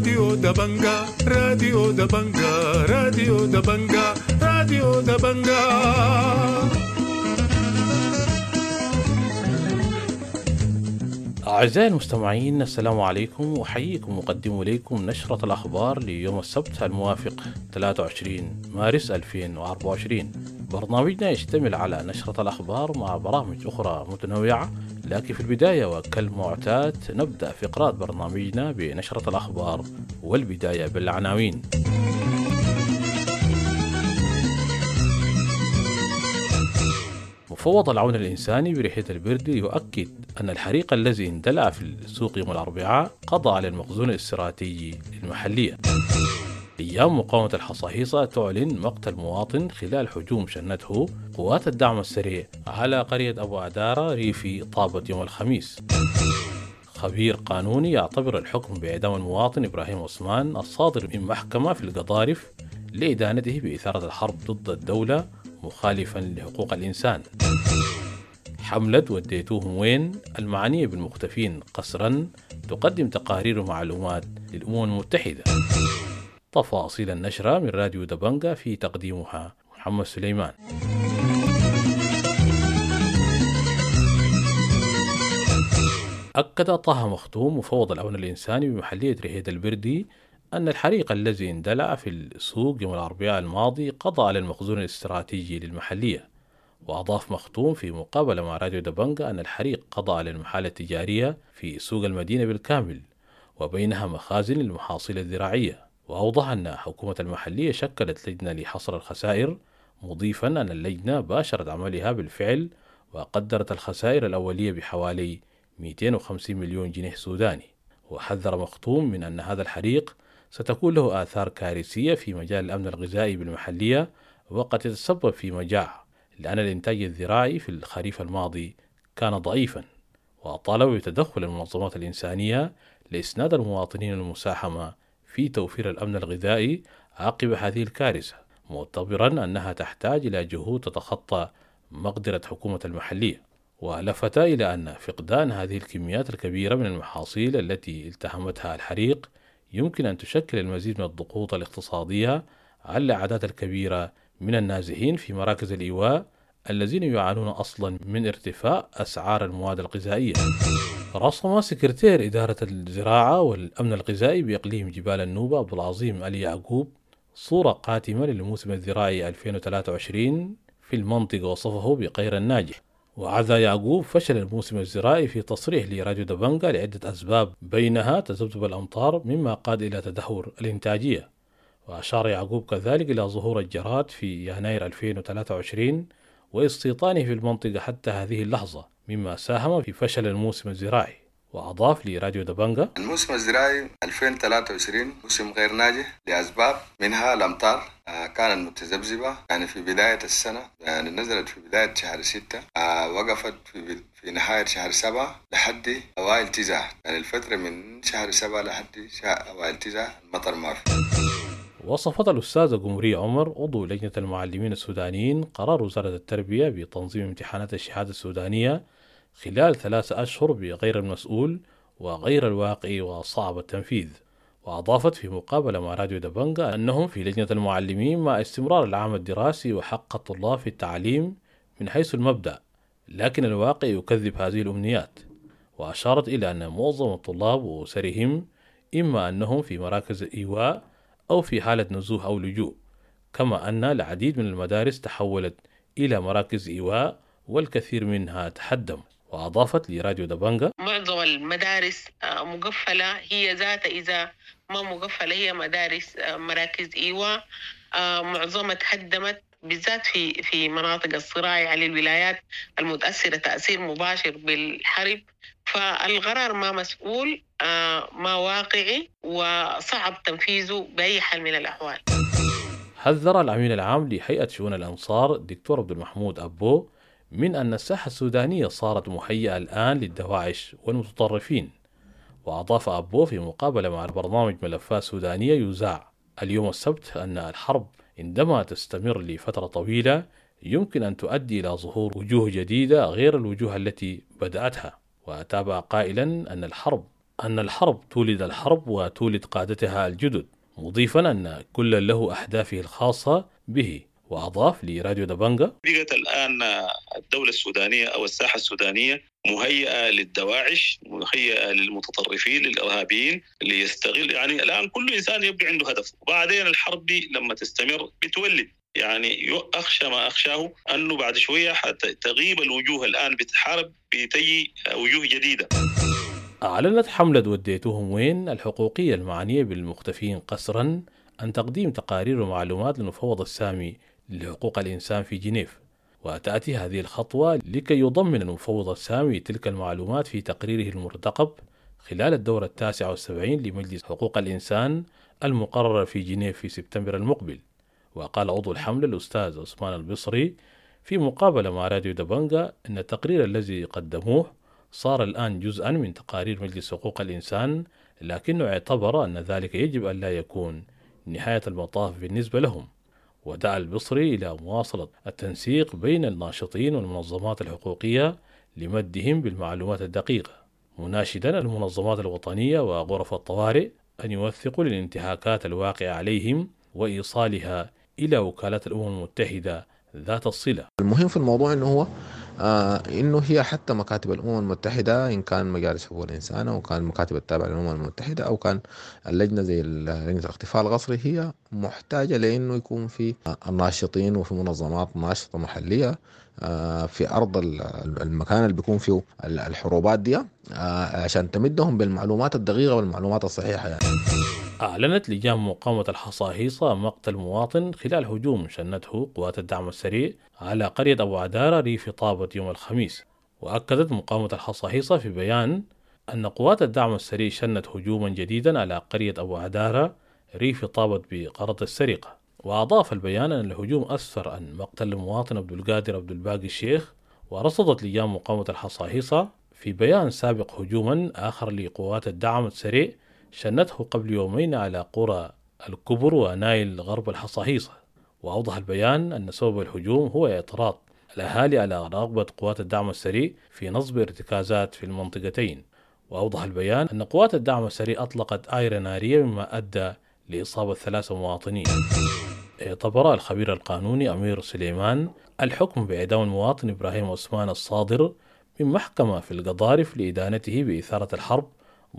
راديو دبنجا، راديو دبنجا، راديو دبنجا، راديو دبنجا. أعزائي المستمعين، السلام عليكم، أحييكم وأقدم إليكم نشرة الأخبار ليوم السبت الموافق 23 مارس 2024. برنامجنا يشتمل على نشرة الأخبار مع برامج أخرى متنوعة، لكن في البداية وكالمعتاد نبدأ فقرات برنامجنا بنشرة الأخبار، والبداية بالعناوين. مفوض العون الإنساني بريحة البردي يؤكد أن الحريق الذي اندلع في السوق يوم الأربعاء قضى على المخزون الاستراتيجي للمحلية. أيام مقاومة الحصاحيصا تعلن مقتل مواطن خلال هجوم شنته قوات الدعم السريع على قرية أبو عدارة ريفي طابة يوم الخميس. خبير قانوني يعتبر الحكم بإعدام المواطن إبراهيم عثمان الصادر من محكمة في القضارف لإدانته بإثارة الحرب ضد الدولة مخالفا لحقوق الإنسان. حملة وديتوهم وين المعنية بالمختفين قسرا تقدم تقارير ومعلومات للأمم المتحدة. تفاصيل النشرة من راديو دبنجا في تقديمها محمد سليمان. أكد طه مختوم مفوض العون الإنساني بمحلية رهيد البردي أن الحريق الذي اندلع في السوق يوم الأربعاء الماضي قضى على المخزون الاستراتيجي للمحلية. وأضاف مختوم في مقابلة مع راديو دبنجا أن الحريق قضى على المحال التجارية في سوق المدينة بالكامل، وبينها مخازن للمحاصيل الزراعية. وأوضح أن حكومة المحلية شكلت لجنة لحصر الخسائر، مضيفا أن اللجنة باشرت عملها بالفعل وقدرت الخسائر الأولية بحوالي 250 مليون جنيه سوداني. وحذر مختوم من أن هذا الحريق ستكون له آثار كارثية في مجال الأمن الغذائي بالمحلية، وقد يتسبب في مجاعة، لأن الإنتاج الزراعي في الخريف الماضي كان ضعيفا. وطالب بتدخل المنظمات الإنسانية لإسناد المواطنين المساهمة في توفير الأمن الغذائي عقب هذه الكارثة، معتبرا أنها تحتاج إلى جهود تتخطى مقدرة حكومة المحلية. ولفت إلى أن فقدان هذه الكميات الكبيرة من المحاصيل التي التهمتها الحريق يمكن أن تشكل المزيد من الضغوط الاقتصادية على الأعداد الكبيرة من النازحين في مراكز الإيواء الذين يعانون أصلا من ارتفاع أسعار المواد الغذائية. رسم سكرتير إدارة الزراعة والأمن الغذائي بإقليم جبال النوبة عبد العظيم علي يعقوب صورة قاتمة للموسم الزراعي 2023 في المنطقة، وصفه بغير الناجح. وعزا يعقوب فشل الموسم الزراعي في تصريح لراديو دبنجا لعدة أسباب، بينها تذبذب الأمطار مما قاد إلى تدهور الإنتاجية. وأشار يعقوب كذلك إلى ظهور الجراد في يناير 2023 واستيطانه في المنطقة حتى هذه اللحظة، مما ساهم في فشل الموسم الزراعي. وأضاف لراديو دبنجا: الموسم الزراعي 2023 موسم غير ناجح لأسباب، منها الأمطار كانت متذبذبة، يعني في بداية السنة، يعني نزلت في بداية شهر 6، وقفت في نهاية شهر 7 لحد أوائل 9، يعني الفترة من شهر 7 لحد أوائل 9 المطر ما في. وصفت الأستاذة قمرية عمر عضو لجنة المعلمين السودانيين قرار وزارة التربية بتنظيم امتحانات الشهادة السودانية خلال 3 أشهر بغير المسؤول وغير الواقعي وصعب التنفيذ. وأضافت في مقابلة مع راديو دبنجا أنهم في لجنة المعلمين مع استمرار العام الدراسي وحق الطلاب في التعليم من حيث المبدأ، لكن الواقع يكذب هذه الأمنيات. وأشارت إلى أن معظم الطلاب وأسرهم إما أنهم في مراكز إيواء أو في حالة نزوح أو لجوء، كما أن العديد من المدارس تحولت إلى مراكز إيواء والكثير منها تحدم. وأضافت لراديو دبنجا: معظم المدارس مقفلة، هي ذاتها إذا ما مقفلة هي مدارس مراكز إيواء، معظمها تهدمت بالذات في مناطق الصراع على الولايات المتأثرة تأثير مباشر بالحرب. فالقرار ما مسؤول، ما واقعي، وصعب تنفيذه بأي حال من الأحوال. حذر الأمين العام لهيئة شؤون الأنصار دكتور عبد المحمود أبو من أن الساحة السودانية صارت مهيئة الآن للدواعش والمتطرفين. وأضاف أبو في مقابلة مع برنامج ملفات سودانية يذاع اليوم السبت أن الحرب عندما تستمر لفترة طويلة يمكن أن تؤدي إلى ظهور وجوه جديدة غير الوجوه التي بدأتها. وتابع قائلا أن الحرب أن الحرب تولد الحرب وتولد قادتها الجدد، مضيفا أن كل له أهدافه الخاصة به. وأضاف لراديو دبنجا: بقت الآن الدولة السودانية أو الساحة السودانية مهيئة للدواعش، مهيئة للمتطرفين، للإرهابيين، ليستغل. يعني الآن كل إنسان يبقى عنده هدف، وبعدين الحرب دي لما تستمر بتولد، يعني أخشى ما أخشاه أنه بعد شوية تغيب الوجوه الآن بتحارب، بتجي وجوه جديدة. أعلنت حملة وديتوهم وين الحقوقية المعنية بالمختفين قسرا أن تقديم تقارير ومعلومات للمفوض السامي لحقوق الإنسان في جنيف، وتأتي هذه الخطوة لكي يضمن المفوض السامي تلك المعلومات في تقريره المرتقب خلال الدورة 79 لمجلس حقوق الإنسان المقررة في جنيف في سبتمبر المقبل. وقال عضو الحملة الأستاذ عثمان البصري في مقابلة مع راديو دبنجا أن التقرير الذي قدموه صار الآن جزءا من تقارير مجلس حقوق الإنسان، لكنه اعتبر أن ذلك يجب أن لا يكون نهاية المطاف بالنسبة لهم. ودعا البصري إلى مواصلة التنسيق بين الناشطين والمنظمات الحقوقية لمدهم بالمعلومات الدقيقة، مناشدا المنظمات الوطنية وغرف الطوارئ أن يوثقوا للانتهاكات الواقعة عليهم وإيصالها إلى وكالات الأمم المتحدة ذات الصلة. المهم في الموضوع إنه هو إنه هي حتى مكاتب الأمم المتحدة، إن كان مجالس حقوق الإنسان أو كان المكاتب التابعة للأمم المتحدة أو كان اللجنة زي لجنة الاختفاء القسري، هي محتاجة لأنه يكون في الناشطين وفي منظمات ناشطة محلية في أرض المكان اللي بيكون فيه الحروبات دي، عشان تمدهم بالمعلومات الدقيقة والمعلومات الصحيحة يعني. أعلنت لجان مقاومة الحصاحيصا مقتل مواطن خلال هجوم شنته قوات الدعم السريع على قرية أبو عدارة ريف طابة يوم الخميس. وأكدت مقاومة الحصاحيصا في بيان أن قوات الدعم السريع شنت هجوما جديدا على قرية أبو عدارة ريف طابة بغرض السرقة. وأضاف البيان أن الهجوم أسفر عن مقتل المواطن عبد القادر عبد الباقي الشيخ. ورصدت لجان مقاومة الحصاحيصا في بيان سابق هجوما آخر لقوات الدعم السريع شنته قبل يومين على قرى الكبر ونايل غرب الحصاحيصا. وأوضح البيان أن سبب الهجوم هو اعتراض الأهالي على رغبة قوات الدعم السريع في نصب ارتكازات في المنطقتين. وأوضح البيان أن قوات الدعم السريع أطلقت آيرة نارية مما أدى لإصابة 3 مواطنين. اعتبر الخبير القانوني أمير سليمان الحكم بإعدام المواطن إبراهيم عثمان الصادر من محكمة في القضارف لإدانته بإثارة الحرب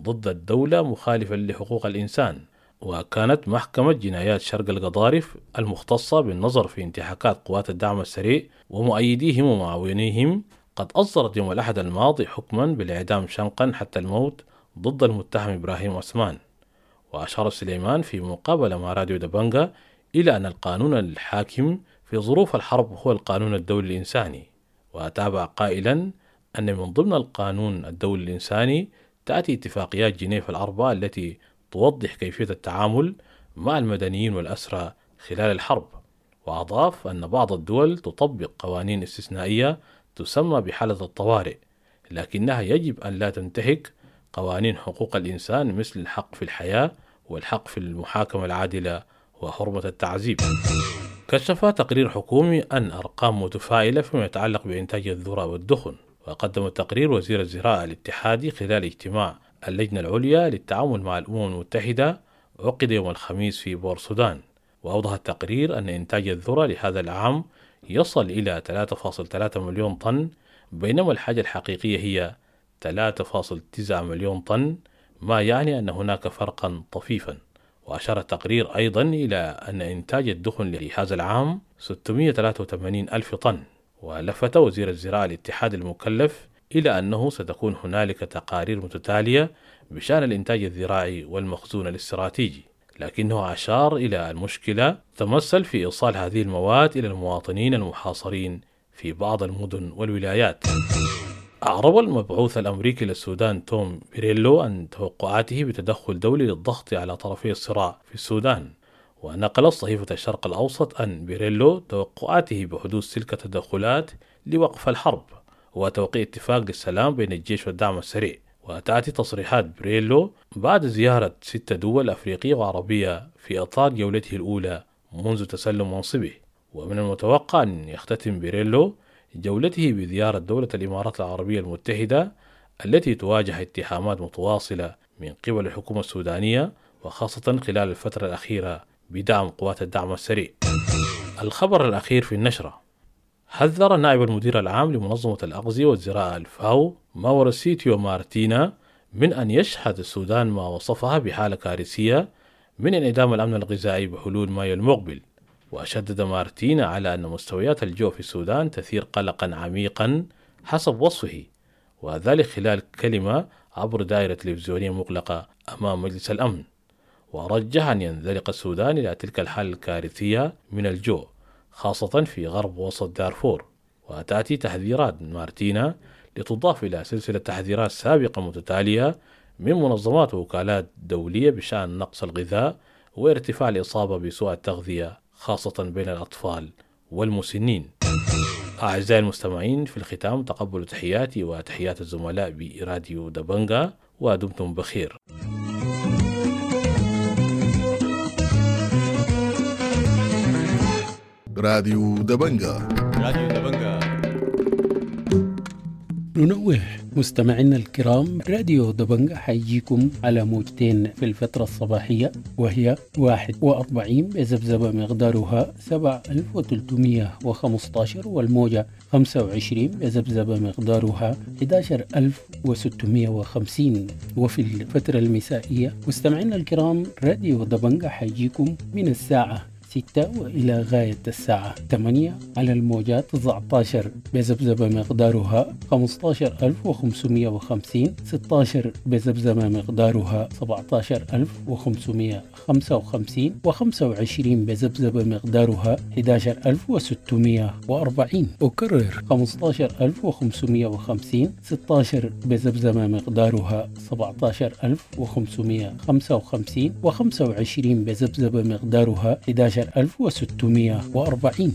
ضد الدولة مخالفا لحقوق الإنسان. وكانت محكمة جنايات شرق القضارف المختصة بالنظر في انتهاكات قوات الدعم السريع ومؤيديهم ومعاونيهم قد أصدرت يوم الأحد الماضي حكما بالإعدام شنقا حتى الموت ضد المتهم إبراهيم عثمان. وأشار سليمان في مقابلة مع راديو دبنجا إلى أن القانون الحاكم في ظروف الحرب هو القانون الدولي الإنساني. وتابع قائلا أن من ضمن القانون الدولي الإنساني تأتي اتفاقيات جنيف الأربعة التي توضح كيفية التعامل مع المدنيين والأسرى خلال الحرب. وأضاف أن بعض الدول تطبق قوانين استثنائية تسمى بحالة الطوارئ، لكنها يجب أن لا تنتهك قوانين حقوق الإنسان مثل الحق في الحياة والحق في المحاكمة العادلة وحرمة التعذيب. كشف تقرير حكومي أن أرقام متفائلة فيما يتعلق بإنتاج الذرة والدخن. وقدم التقرير وزير الزراعة الاتحادي خلال اجتماع اللجنة العليا للتعامل مع الأمم المتحدة عقد يوم الخميس في بورسودان. وأوضح التقرير أن إنتاج الذرة لهذا العام يصل إلى 3.3 مليون طن، بينما الحاجة الحقيقية هي 3.9 مليون طن، ما يعني أن هناك فرقا طفيفا. وأشار التقرير أيضا إلى أن إنتاج الدخن لهذا العام 683 ألف طن. ولفت وزير الزراعة الاتحاد المكلف إلى أنه ستكون هنالك تقارير متتالية بشأن الإنتاج الزراعي والمخزون الاستراتيجي، لكنه أشار إلى المشكلة تمثل في إيصال هذه المواد إلى المواطنين المحاصرين في بعض المدن والولايات. أعرب المبعوث الأمريكي للسودان توم بيريلو عن توقعاته بتدخل دولي للضغط على طرفي الصراع في السودان. ونقلت صحيفة الشرق الأوسط أن بيريلو توقعاته بحدوث تلك التدخلات لوقف الحرب وتوقيع اتفاق للسلام بين الجيش والدعم السريع. وتأتي تصريحات بيريلو بعد زيارة 6 دول أفريقية وعربية في إطار جولته الأولى منذ تسلم منصبه. ومن المتوقع أن يختتم بيريلو جولته بزيارة دولة الإمارات العربية المتحدة التي تواجه اتهامات متواصلة من قبل الحكومة السودانية، وخاصة خلال الفترة الأخيرة بدعم قوات الدعم السريع. الخبر الأخير في النشرة: حذر نائب المدير العام لمنظمة الأغذية والزراعة الفاو ماورسيتيو مارتينا من أن يشهد السودان ما وصفها بحالة كارثية من انعدام الأمن الغذائي بحلول مايو المقبل. وشدد مارتينا على أن مستويات الجوع في السودان تثير قلقا عميقا حسب وصفه، وذلك خلال كلمة عبر دائرة تلفزيونية مغلقة أمام مجلس الأمن. ورجح أن ينزلق السودان إلى تلك الحالة الكارثية من الجوع، خاصة في غرب وسط دارفور. وتأتي تحذيرات مارتينا لتضاف إلى سلسلة تحذيرات سابقة متتالية من منظمات ووكالات دولية بشأن نقص الغذاء وارتفاع الإصابة بسوء التغذية، خاصة بين الأطفال والمسنين. أعزائي المستمعين، في الختام تقبلوا تحياتي وتحيات الزملاء براديو دبنجا، ودمتم بخير. راديو دبنجا. راديو دبنجا. ننوه مستمعينا الكرام، راديو دبنجا حيجيكم على موجتين في الفترة الصباحية، وهي 41 بذبذبة مقدارها 7315، والموجة 25 بذبذبة مقدارها 11650. وفي الفترة المسائية مستمعينا الكرام، راديو دبنجا حيجيكم من الساعة 6 وإلى غاية الساعة 8 على الموجات 19 بذبذبة مقدارها 15550، 16 بذبذبة مقدارها 17555، و25 بذبذبة مقدارها 11640. أكرر 15550، 16 بذبذبة مقدارها 17555، و25 بذبذبة مقدارها 11640.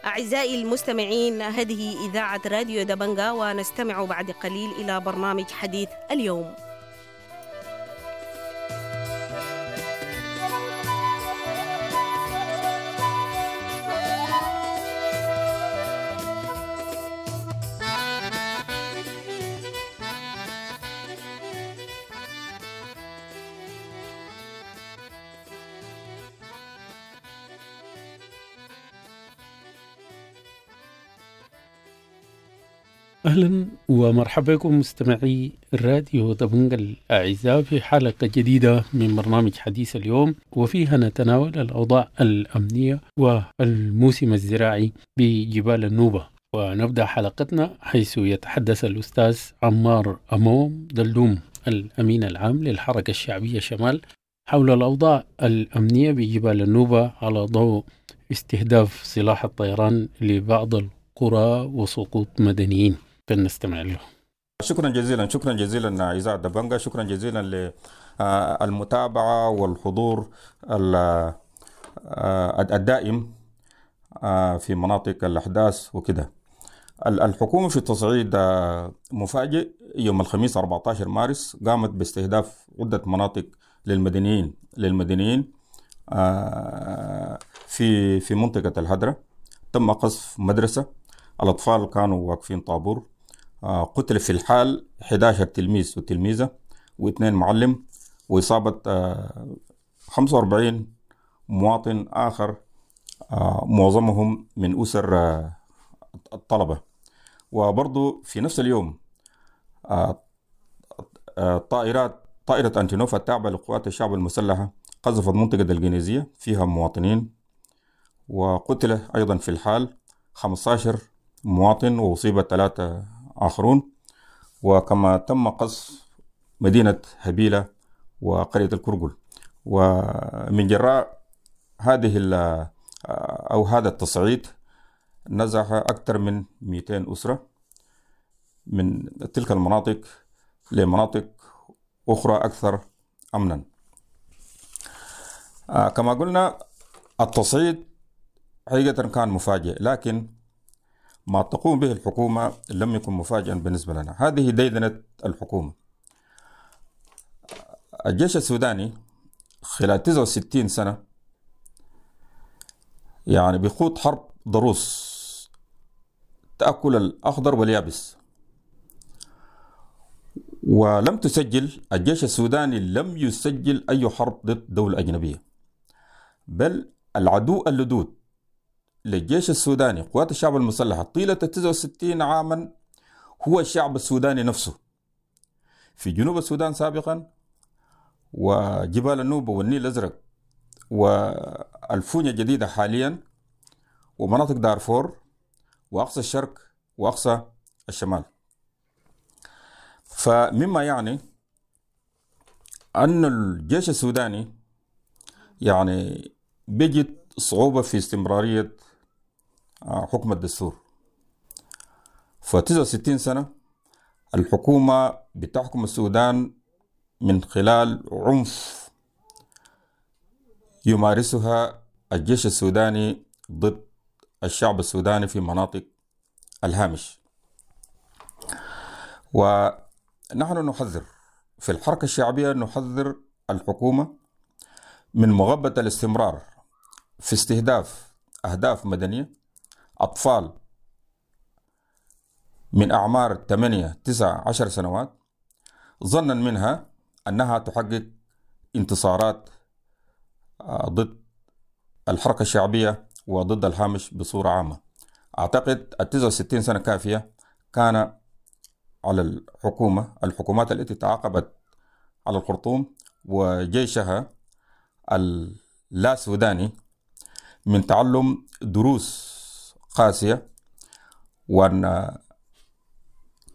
أعزائي المستمعين، هذه إذاعة راديو دبنجا، ونستمع بعد قليل إلى برنامج حديث اليوم. أهلا ومرحبا بكم مستمعي الراديو دبنجا الأعزاء في حلقة جديدة من برنامج حديث اليوم، وفيها نتناول الأوضاع الأمنية والموسم الزراعي بجبال النوبة. ونبدأ حلقتنا حيث يتحدث الأستاذ عمار أموم دلدوم الأمين العام للحركة الشعبية شمال حول الأوضاع الأمنية بجبال النوبة على ضوء استهداف سلاح الطيران لبعض القرى وسقوط مدنيين. فلنستمع له. شكرا جزيلا، شكرا جزيلا إذاعة دبنجا، شكرا جزيلا للمتابعة والحضور الدائم في مناطق الأحداث وكده. الحكومة في التصعيد مفاجئ يوم الخميس 14 مارس قامت باستهداف عدة مناطق للمدنيين في منطقة الهدرة. تم قصف مدرسة، الأطفال كانوا واقفين طابور، قتل في الحال 11 تلميذ وتلميذة و2 معلم، وإصابة 45 مواطن آخر، معظمهم من أسر الطلبة. وبرضو في نفس اليوم طائرة أنتينوف التابعة لقوات الشعب المسلحة قذفت منطقة الجنيزية فيها مواطنين، وقتل أيضا في الحال 15 مواطن وأصيب 3 آخرون. وكما تم قصف مدينة هبيلة وقرية الكرقل. ومن جراء هذه أو هذا التصعيد نزح أكثر من 200 أسرة من تلك المناطق لمناطق أخرى أكثر أمنا. كما قلنا التصعيد حقيقة كان مفاجئ، لكن ما تقوم به الحكومة لم يكن مفاجئا بالنسبة لنا. هذه ديدنة الحكومة. الجيش السوداني خلال 69 سنة يعني بيخوض حرب ضروس تأكل الأخضر واليابس، ولم تسجل، الجيش السوداني لم يسجل أي حرب ضد دولة أجنبية، بل العدو اللدود للجيش السوداني قوات الشعب المسلحة طيلة 69 عاما هو الشعب السوداني نفسه في جنوب السودان سابقا، وجبال النوبة والنيل الأزرق والفونيا الجديدة حاليا، ومناطق دارفور وأقصى الشرق وأقصى الشمال. فمما يعني أن الجيش السوداني يعني بيجد صعوبة في استمرارية حكم الدستور. ف69 سنة الحكومة بتحكم السودان من خلال عنف يمارسها الجيش السوداني ضد الشعب السوداني في مناطق الهامش. ونحن نحذر في الحركة الشعبية، نحذر الحكومة من مغبة الاستمرار في استهداف أهداف مدنية، أطفال من أعمار 8 9 10 سنوات، ظنا منها أنها تحقق انتصارات ضد الحركة الشعبية وضد الهامش بصورة عامة. أعتقد 69 سنة كافية كان على الحكومة، الحكومات التي تعاقبت على الخرطوم وجيشها اللا سوداني، من تعلم دروس قاسية، وأن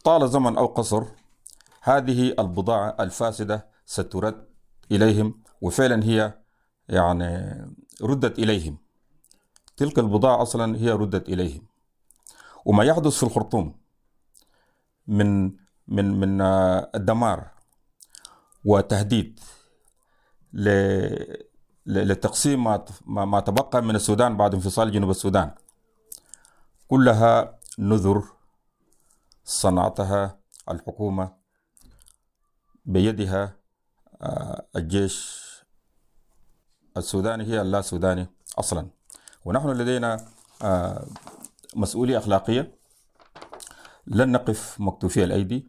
طال زمن أو قصر هذه البضاعة الفاسدة سترد إليهم، وفعلا هي يعني ردت إليهم. تلك البضاعة أصلا هي ردت إليهم. وما يحدث في الخرطوم من من من الدمار وتهديد لتقسيم ما تبقى من السودان بعد انفصال جنوب السودان، كلها نذر صنعتها الحكومة بيدها الجيش السوداني، هي اللا سوداني أصلا. ونحن لدينا مسؤولية أخلاقية، لن نقف مكتوفي الأيدي،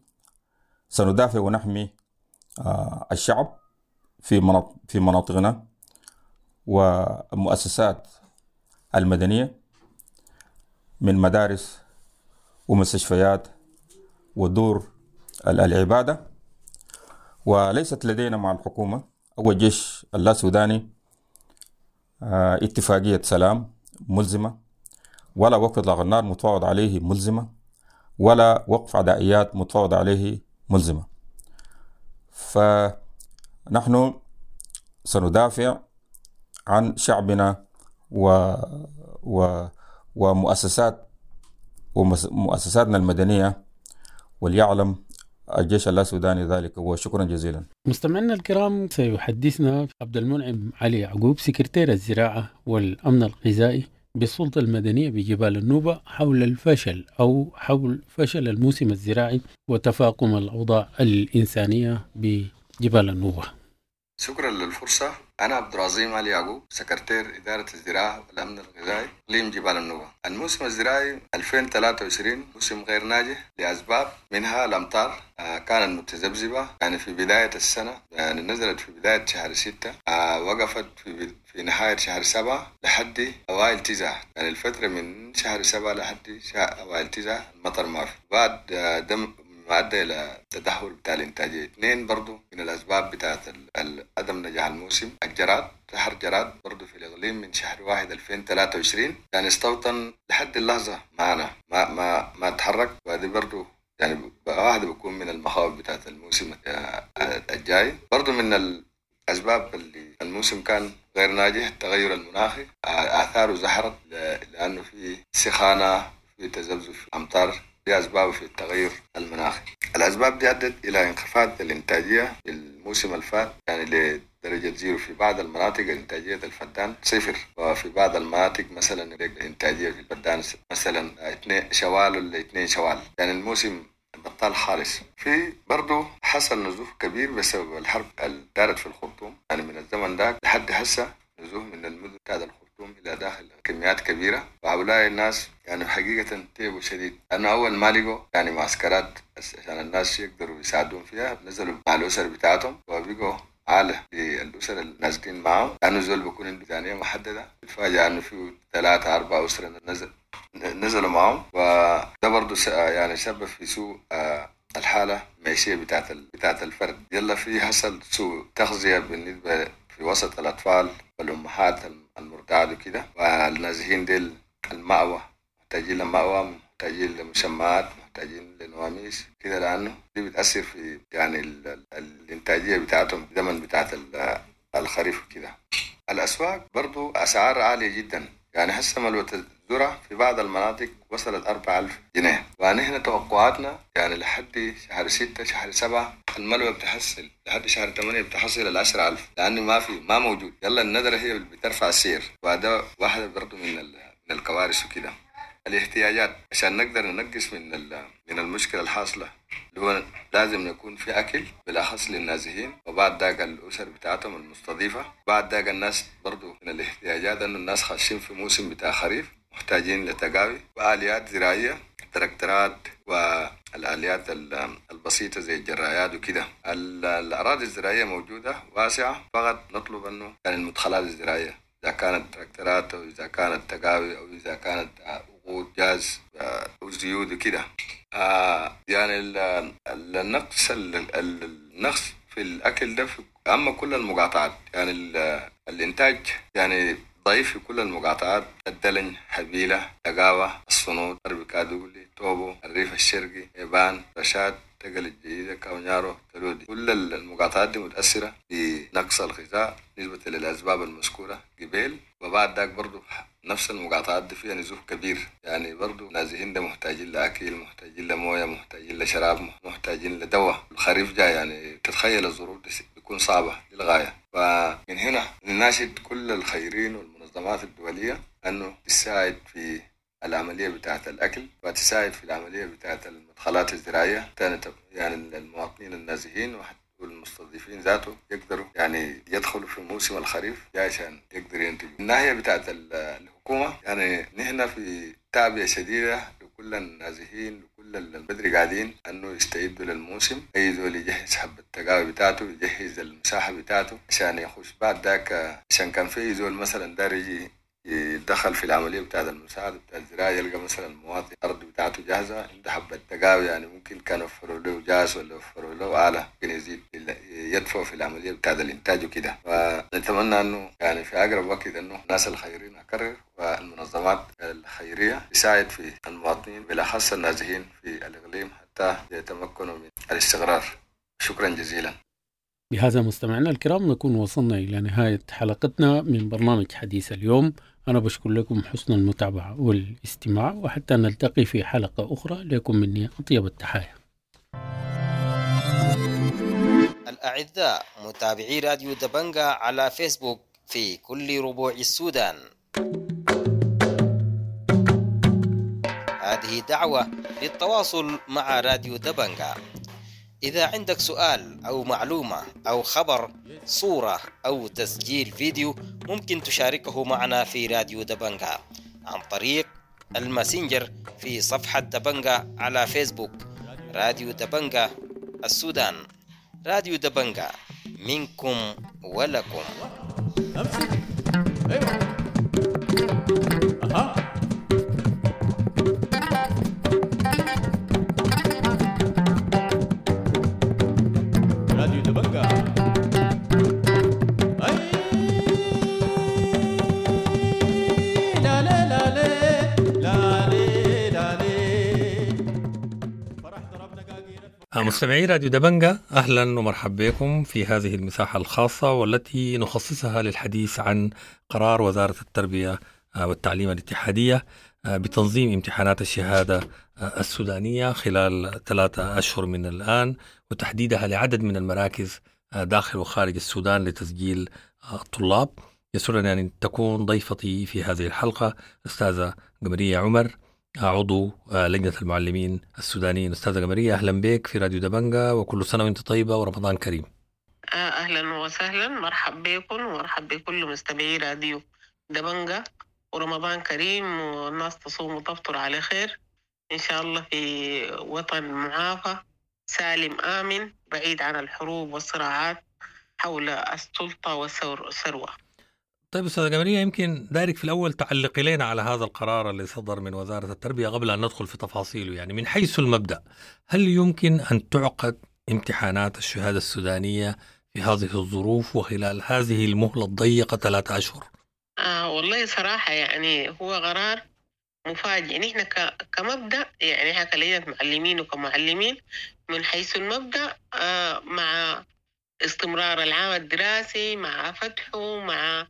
سندافع ونحمي الشعب في مناطقنا ومؤسسات المدنية من مدارس ومستشفيات ودور العبادة. وليست لدينا مع الحكومة أو الجيش اللا سوداني اتفاقية سلام ملزمة، ولا وقف إطلاق النار متفاوض عليه ملزمة، ولا وقف عدائيات متفاوض عليه ملزمة. فنحن سندافع عن شعبنا ومؤسسات ومؤسساتنا المدنية، وليعلم الجيش اللا سوداني ذلك. وشكرا جزيلا. مستمعينا الكرام، سيحدثنا عبد المنعم علي يعقوب سكرتير الزراعة والأمن الغذائي بالسلطة المدنية بجبال النوبة حول الفشل أو حول فشل الموسم الزراعي وتفاقم الأوضاع الإنسانية بجبال النوبة. شكرا للفرصة. أنا عبد العظيم علي يعقوب، سكرتير إدارة الزراعة والأمن الغذائي إقليم جبال النوبة. الموسم الزراعي 2023 موسم غير ناجح لأسباب، منها الأمطار كانت متذبذبة، يعني في بداية السنة، يعني نزلت في بداية شهر 6، وقفت في نهاية شهر 7 لحد أوائل 9، يعني الفترة من شهر 7 لحد أوائل 9 المطر ما في. بعد دم ما أدى إلى تدهور بتاع الإنتاجية. 2 برضو من الأسباب بتاعت عدم نجاح الموسم الجراد، شهر جراد برضو في الإقليم من شهر 1 2023 يعني استوطن لحد اللحظة معنا، ما ما ما تحرك. وهذه برضو يعني واحدة بيكون من المخاوف بتاعت الموسم الجاي. برضو من الأسباب اللي الموسم كان غير ناجح التغير المناخي، آثاره ظهرت لأنه في سخانة، في تذبذب في أمطار، دي أسباب في التغير المناخي. الأسباب دي أدت إلى انخفاض الإنتاجية في الموسم الفات، يعني ل درجة zero. في بعض المناطق إنتاجية الفدان صفر، وفي بعض المناطق مثلا إنتاجية في الفدان مثلا 2 شوال ولا 2 شوال، يعني الموسم بطال خالص. في برضو حصل نزوف كبير بسبب الحرب اللي دارت في الخرطوم، يعني من الزمن ده لحد هسه نزوف من المدن بتاعت الخرطوم إلى داخل كميات كبيرة. وهؤلاء الناس يعني حقيقة تعبوا شديد، لأنه أول ما لقوا يعني معسكرات عشان الناس يقدروا يساعدون فيها نزلوا مع الأسر بتاعتهم وبقوا عالة للأسر النازلين معهم، لأنه زول بيكون عنده ميزانية محددة، بيتفاجأ أنه في 3 4 أسر نزلوا معهم. وده برضه يعني سبب في سوء الحالة المعيشية بتاعت الفرد. يلا في حصل سوء تغذية بالنسبة في وسط الأطفال والأمهات المرضعات وكده، والنازحين ديل المأوى، محتاجين لمأوى، محتاجين لمشمعات، محتاجين لنواميس كده، لأنه دي بتأثر في يعني الإنتاجية بتاعتهم زمن بتاعت الخريف كده. الأسواق برضو أسعار عالية جدا، يعني هسه ملوة الذرة في بعض المناطق وصلت 4000 جنيه، ونحن توقعاتنا يعني لحد شهر 6 شهر 7 الملوة بتحصل، لحد شهر 8 بتحصل 10,000، لأنه ما موجود. يلا الندرة هي اللي بترفع السعر، وهذا واحدة برضو من الكوارث وكده. الاحتياجات عشان نقدر ننقص من المشكلة الحاصلة اللي هو لازم يكون في أكل بالأخص للنازحين، وبعد ذاك الأسر بتاعتهم المستضيفة، بعد ذاك الناس برضو من الاحتياجات أنه الناس خاشين في موسم بتاع خريف محتاجين لتقاوي وآليات زراعية، تراكترات والآليات البسيطة زي الجرايات وكده. الأراضي الزراعية موجودة واسعة، فقط نطلب أنه يعني المدخلات الزراعية إذا كانت تراكترات أو إذا كانت تقاوي أو إذا كانت وقود جاز وزيوت وكده. يعني النقص النقص في الأكل ده في أما كل المقاطعات، يعني الإنتاج يعني ضعيف في كل المقاطعات: الدلن، حبيلة، تقاوة، الصنوط، غرب كادولي، توبو، الريف الشرقي، إيبان، رشاد، تقل الجديدة، كاونيارو، تلودي. كل المقاطعات دي متأثرة بنقص الغذاء نسبة للأسباب المذكورة قبل. وبعد ذاك برضو نفس المقاطعات دي فيها نزوف كبير، يعني برضو نازحين ده محتاجين لأكل، محتاجين لموية، محتاجين لشراب، محتاجين لدواء. الخريف جاي، يعني تتخيل الظروف دي بتكون صعبة للغاية. فمن هنا نناشد كل الخيرين والمنظمات الدولية أنه تساعد في العملية بتاعة الأكل وتساعد في العملية بتاعة المدخلات الزراعية، يعني المواطنين النازحين والمستضيفين ذاته يقدروا يعني يدخلوا في موسم الخريف عشان يقدروا ينتجوا. الناحية بتاعة الحكومة يعني نحن في تعبئة شديدة لكل النازحين، لكل البدري قاعدين أنه يستعدوا للموسم، أي زول يجهز حبة التقاوي بتاعته، يجهز المساحة بتاعته عشان يخش بعد ذاك. عشان كان في زول مثلا دار يجي يتدخل في العملية بتاعة المساعدة بتاع الزراعة، يلقى مثلا المواطن الأرض بتاعته جاهزة، عنده حبة تقاوي، يعني ممكن كان وفروا له جاز ولا وفروا له آلة ممكن يزيد يدفع في العملية بتاعة الإنتاج وكده. فنتمنى أنه يعني في أقرب وقت أنه الناس الخيرين أكرر والمنظمات الخيرية تساعد في المواطنين بالأخص النازحين في الإقليم حتى يتمكنوا من الاستقرار. شكرا جزيلا. بهذا مستمعينا الكرام نكون وصلنا إلى نهاية حلقتنا من برنامج حديث اليوم. أنا بشكر لكم حسن المتابعة والاستماع، وحتى نلتقي في حلقة أخرى لكم مني أطيب التحايا. الأعزاء متابعي راديو دبنجا على فيسبوك في كل ربوع السودان، هذه دعوة للتواصل مع راديو دبنجا. إذا عندك سؤال أو معلومة أو خبر، صورة أو تسجيل فيديو، ممكن تشاركه معنا في راديو دبنجا عن طريق الماسنجر في صفحة دبنجا على فيسبوك، راديو دبنجا السودان. راديو دبنجا منكم ولكم. أها. مستمعي راديو دبنجا، أهلا ومرحبا بكم في هذه المساحة الخاصة والتي نخصصها للحديث عن قرار وزارة التربية والتعليم الاتحادية بتنظيم امتحانات الشهادة السودانية خلال 3 أشهر من الآن، وتحديدها لعدد من المراكز داخل وخارج السودان لتسجيل الطلاب. يسرني أن تكون ضيفتي في هذه الحلقة أستاذة قمرية عمر، عضو لجنة المعلمين السودانيين. أستاذة قمرية، أهلا بك في راديو دبنجا، وكل سنة وأنت طيبة ورمضان كريم. أهلا وسهلا، مرحب بكم ومرحب بكل مستمعي راديو دبنجا، ورمضان كريم والناس تصوم وتفطر على خير إن شاء الله في وطن معافى سالم آمن بعيد عن الحروب والصراعات حول السلطة والثروة. طيب أستاذة قمرية، يمكن دايرك في الأول تعلقي لنا على هذا القرار اللي صدر من وزارة التربية قبل أن ندخل في تفاصيله. يعني من حيث المبدأ، هل يمكن أن تعقد امتحانات الشهادة السودانية في هذه الظروف وخلال هذه المهلة الضيقة 3 أشهر؟ والله صراحة يعني هو قرار مفاجئ. نحن كمبدأ يعني احنا كلجنة معلمين وكمعلمين من حيث المبدأ مع استمرار العام الدراسي، مع فتحه، مع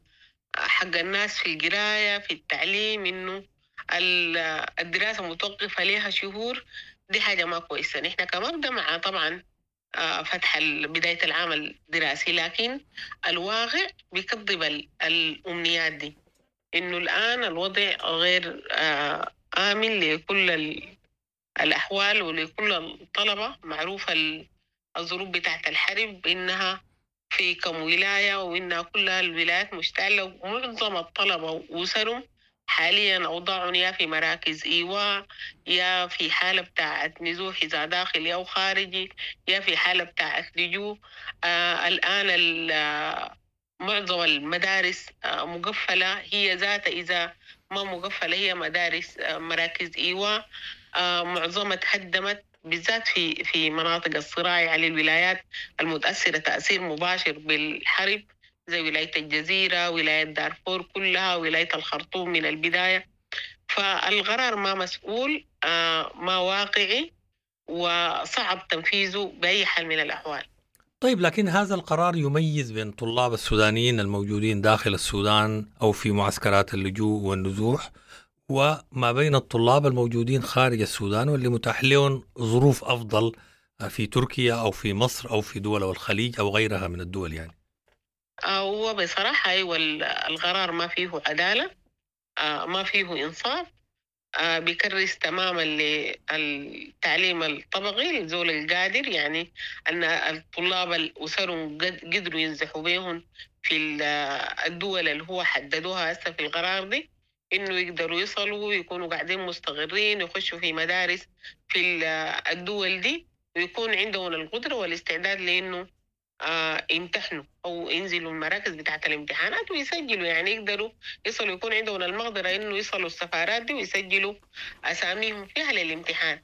حق الناس في القراية في التعليم، إنه الدراسة متوقفة لها شهور، دي حاجة ما كويسة. نحن كمبدأ مع طبعا فتح بداية العام الدراسي، لكن الواقع بيكذب الأمنيات دي، إنه الآن الوضع غير آمن لكل الأحوال ولكل الطلبة. معروفة الظروف بتاعت الحرب إنها في كم ولاية، وإنها كلها الولايات مشتعلة، ومعظم الطلبة وأسرهم حاليا أوضاعهم يا في مراكز إيواء، يا في حالة بتاعت نزوح إذا داخلي أو خارجي، يا في حالة بتاعت لجوء. الآن معظم المدارس مقفلة، هي ذاتها إذا ما مقفلة هي مدارس مراكز إيواء، معظمها تهدمت بالذات في مناطق الصراع، يعني الولايات المتأثرة تأثير مباشر بالحرب زي ولاية الجزيرة، ولاية دارفور كلها، ولاية الخرطوم من البداية. فالقرار ما مسؤول، ما واقعي، وصعب تنفيذه بأي حال من الأحوال. طيب، لكن هذا القرار يميز بين طلاب السودانيين الموجودين داخل السودان أو في معسكرات اللجوء والنزوح، وما بين الطلاب الموجودين خارج السودان واللي متاح لهم ظروف أفضل في تركيا أو في مصر أو في دول الخليج أو غيرها من الدول. يعني هو بصراحة أيوة القرار ما فيه عدالة، ما فيه إنصاف، بيكرس تماما للتعليم الطبقي للزول القادر، يعني أن الطلاب الأسرهم قدروا ينزحوا بهم في الدول اللي هو حددوها هسه في القرار دي، إنه يقدروا يصلوا ويكونوا قاعدين مستقرين، يخشوا في مدارس في الدول دي، ويكون عندهم القدرة والاستعداد لإنه يمتحنوا أو ينزلوا المراكز بتاعة الامتحانات ويسجلوا، يعني يقدروا يصلوا، يكون عندهم المقدرة إنه يصلوا السفارات دي ويسجلوا أساميهم فيها للامتحان.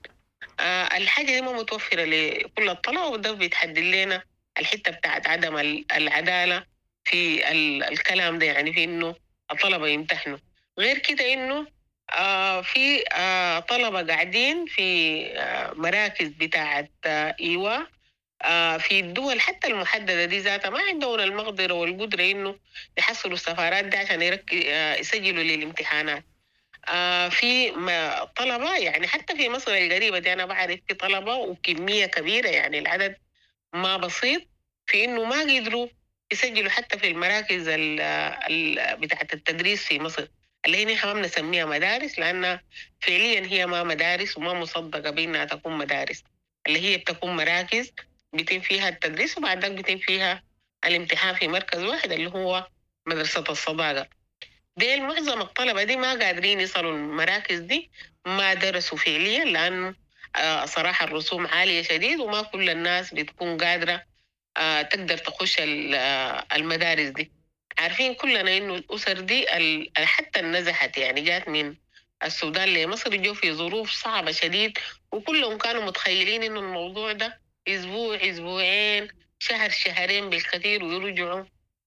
الحاجة دي ما متوفرة لكل الطلبة، وده بيتحدد لنا الحتة بتاعت عدم العدالة في الكلام ده، يعني في إنه الطلبة يمتحنوا. غير كده إنه في طلبة قاعدين في مراكز بتاعت إيواء في الدول حتى المحددة دي ذاتها ما عندهم المقدرة والقدرة إنه يحصلوا السفارات دي عشان يسجلوا للامتحانات. في طلبة يعني حتى في مصر القريبة دي أنا بعرف في طلبة وكمية كبيرة، يعني العدد ما بسيط، في إنه ما قدروا يسجلوا حتى في المراكز بتاعة التدريس في مصر، اللي هي نحن ما بنسميها مدارس لأنها فعليا هي ما مدارس وما مصدقة بأنها تكون مدارس، اللي هي بتكون مراكز بيتم فيها التدريس وبعد ذلك بيتم فيها الامتحان في مركز واحد اللي هو مدرسة الصداقة. دي معظم الطلبة دي ما قادرين يصلوا المراكز دي، ما درسوا فعليا لأنه صراحة الرسوم عالية شديد وما كل الناس بتكون قادرة تقدر تخش المدارس دي. عارفين كلنا إنه الأسر دي حتى النزحت يعني جات من السودان لمصر جو في ظروف صعبة شديد، وكلهم كانوا متخيلين إنه الموضوع ده أسبوع أسبوعين شهر شهرين بالكثير ويرجعوا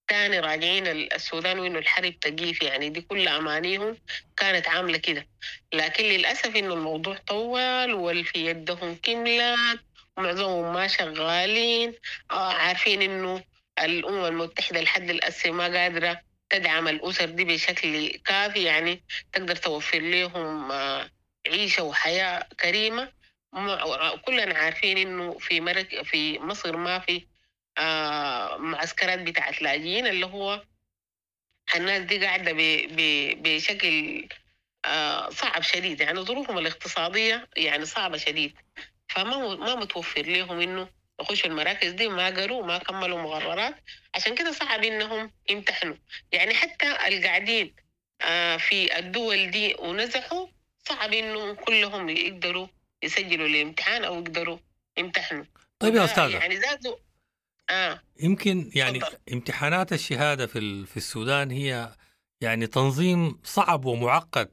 تاني راجعين السودان وإنه الحرب تقيف، يعني دي كل أمانيهم كانت عاملة كده. لكن للأسف إنه الموضوع طول والفي يدهم كملت ومعظمهم ما شغالين، عارفين إنه الأمم المتحدة لحد الأسف ما قادرة تدعم الأسر دي بشكل كافي، يعني تقدر توفر لهم عيشة وحياة كريمة. كلنا عارفين إنه في مصر ما في معسكرات بتاعت لاجئين، اللي هو الناس دي قاعدة بشكل صعب شديد، يعني ظروفهم الاقتصادية يعني صعبة شديد، فما ما متوفر لهم إنه يخشوا المراكز دي، ما قروا ما كملوا مقررات، عشان كده صعب إنهم يمتحنوا. يعني حتى القاعدين في الدول دي ونزحوا صعب إنه كلهم يقدروا يسجلوا الامتحان أو يقدروا يمتحنوا. طيب يا أستاذة، يعني زادوا يمكن يعني تفضل. امتحانات الشهادة في السودان هي يعني تنظيم صعب ومعقد،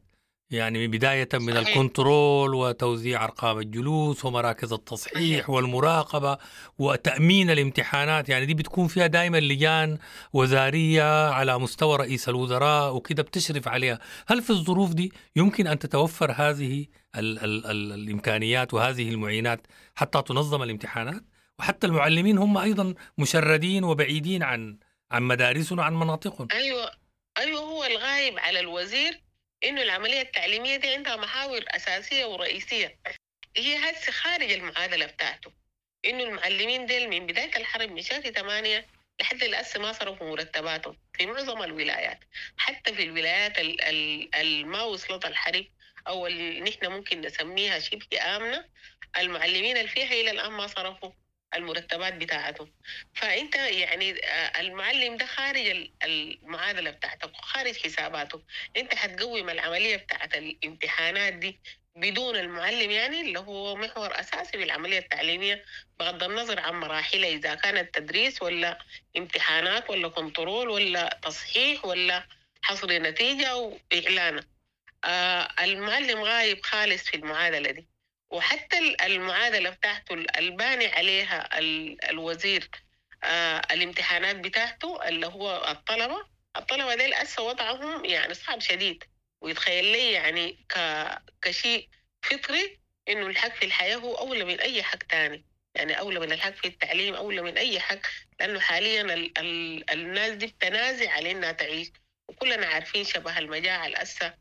يعني بداية من صحيح. الكنترول وتوزيع أرقام الجلوس ومراكز التصحيح والمراقبة وتأمين الامتحانات، يعني دي بتكون فيها دائما لجان وزارية على مستوى رئيس الوزراء وكده بتشرف عليها. هل في الظروف دي يمكن أن تتوفر هذه ال ال ال الإمكانيات وهذه المعينات حتى تنظم الامتحانات؟ وحتى المعلمين هم أيضا مشردين وبعيدين عن مدارسهم وعن مناطقهم. أيوة هو الغايب على الوزير إنه العملية التعليمية دي عندها محاور أساسية ورئيسية، هي هسه خارج المعادلة بتاعته. إنه المعلمين ديل من بداية الحرب من شهر 8 لحد الآن ما صرفوا مرتباتهم في معظم الولايات، حتى في الولايات ما وصلت الحرب أو اللي نحن ممكن نسميها شبه آمنة، المعلمين اللي فيها إلى الآن ما صرفوا المرتبات بتاعتهم. فأنت يعني المعلم ده خارج المعادلة بتاعتك وخارج حساباته، أنت هتقوم العملية بتاعت الامتحانات دي بدون المعلم، يعني اللي هو محور أساسي بالعملية التعليمية بغض النظر عن مراحلها، إذا كانت تدريس ولا امتحانات ولا كنترول ولا تصحيح ولا حصر نتيجة وإعلانه. المعلم غايب خالص في المعادلة دي، وحتى المعادلة بتاعته الباني عليها الوزير الامتحانات بتاعته اللي هو الطلبة ديل أسا وضعهم يعني صعب شديد، ويتخيل لي يعني كشيء فطري إنه الحق في الحياة هو أولى من أي حق تاني، يعني أولى من الحق في التعليم، أولى من أي حق، لأنه حاليا الناس دي بتنازع على إنها تعيش، وكلنا عارفين شبه المجاعة الأسا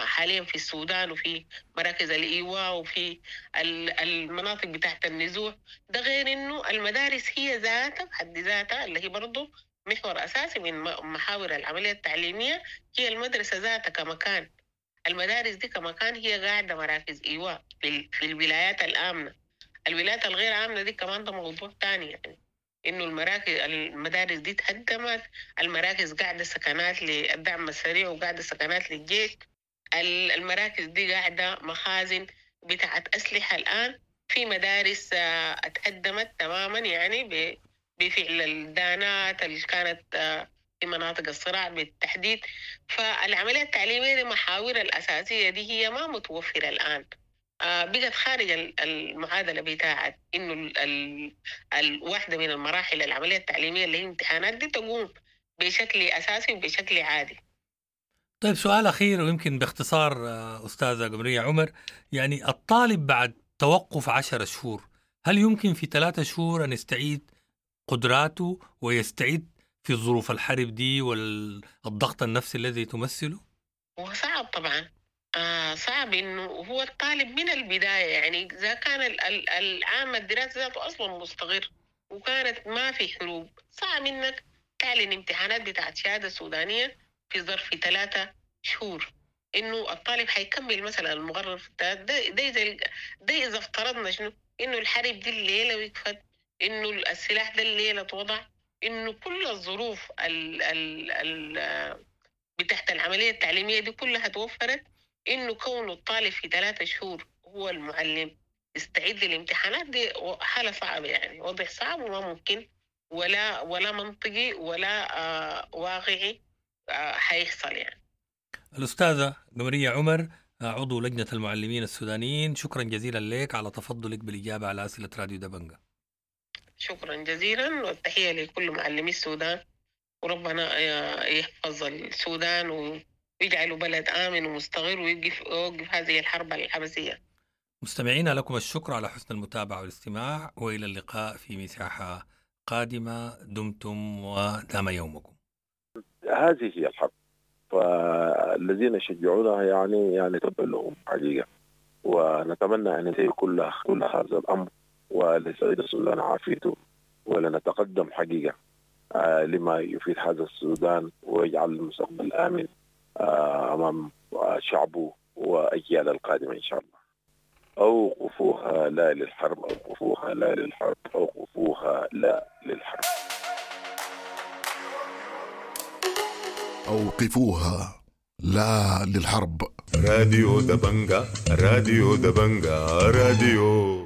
حاليا في السودان وفي مراكز الإيواء وفي المناطق بتاعت النزوح. ده غير إنه المدارس هي ذاتها بحد ذاتها اللي هي برضو محور أساسي من محاور العملية التعليمية، هي المدرسة ذاتها كمكان. المدارس دي كمكان هي قاعدة مراكز إيواء في الولايات الآمنة. الولايات الغير آمنة دي كمان ده موضوع تاني، يعني إنه المدارس دي تهدمت، المراكز قاعدة سكنات للدعم السريع وقاعدة سكنات للجيش، المراكز دي قاعدة مخازن بتاعت أسلحة. الآن في مدارس اتهدمت تماما، يعني بفعل الدانات اللي كانت في مناطق الصراع بالتحديد. فالعملية التعليمية دي محاور الأساسية دي هي ما متوفرة الآن، بقت خارج المعادلة بتاعت إنه الواحدة من المراحل العملية التعليمية اللي هي امتحانات دي تقوم بشكل أساسي وبشكل عادي. طيب سؤال أخير ويمكن باختصار أستاذة قمرية عمر، يعني الطالب بعد توقف 10 شهور هل يمكن في 3 شهور أن يستعيد قدراته ويستعيد في ظروف الحرب دي والضغط النفسي الذي تمثله؟ وصعب طبعا، صعب إنه هو الطالب من البداية، يعني إذا كان العام الدراسي ذاته أصلا مستقر وكانت ما في حروب، صعب إنك تعلن امتحانات بتاعت شهادة سودانية في ظرف 3 شهور، إنه الطالب حيكمل مثلا المقرر في ده إذا افترضنا شنو إنه الحرب دي الليلة وقفت، إنه السلاح ده الليلة اتوضع، إنه كل الظروف بتاعت العملية التعليمية دي كلها توفرت، إنه كون الطالب في 3 شهور هو المعلم يستعد للامتحانات دي حالة صعبة، يعني وضع صعب وما ممكن ولا منطقي ولا واقعي حيحصل يعني. الأستاذة قمرية عمر عضو لجنة المعلمين السودانيين، شكرا جزيلا لك على تفضلك بالإجابة على أسئلة راديو دبنجة. شكرا جزيلا، والتحية لكل معلمي السودان، وربنا يحفظ السودان ويجعله بلد آمن ومستقر ويوقف هذه الحرب العبثية. مستمعينا لكم الشكر على حسن المتابعة والاستماع، وإلى اللقاء في مساحة قادمة. دمتم ودام يومكم. هذه هي الحرب، فالذين يشجعونها يعني تبا لهم حقيقة، ونتمنى أن ينتهي كل هذا الأمر ولسعيد السودان عافيته. ولنتقدم حقيقة لما يفيد هذا السودان ويجعل المستقبل آمن أمام شعبه وأجيال القادمة إن شاء الله. أوقفوها لا للحرب، أوقفوها لا للحرب، أوقفوها لا للحرب. أوقفوها لا للحرب. راديو دبنجا، راديو دبنجا، راديو.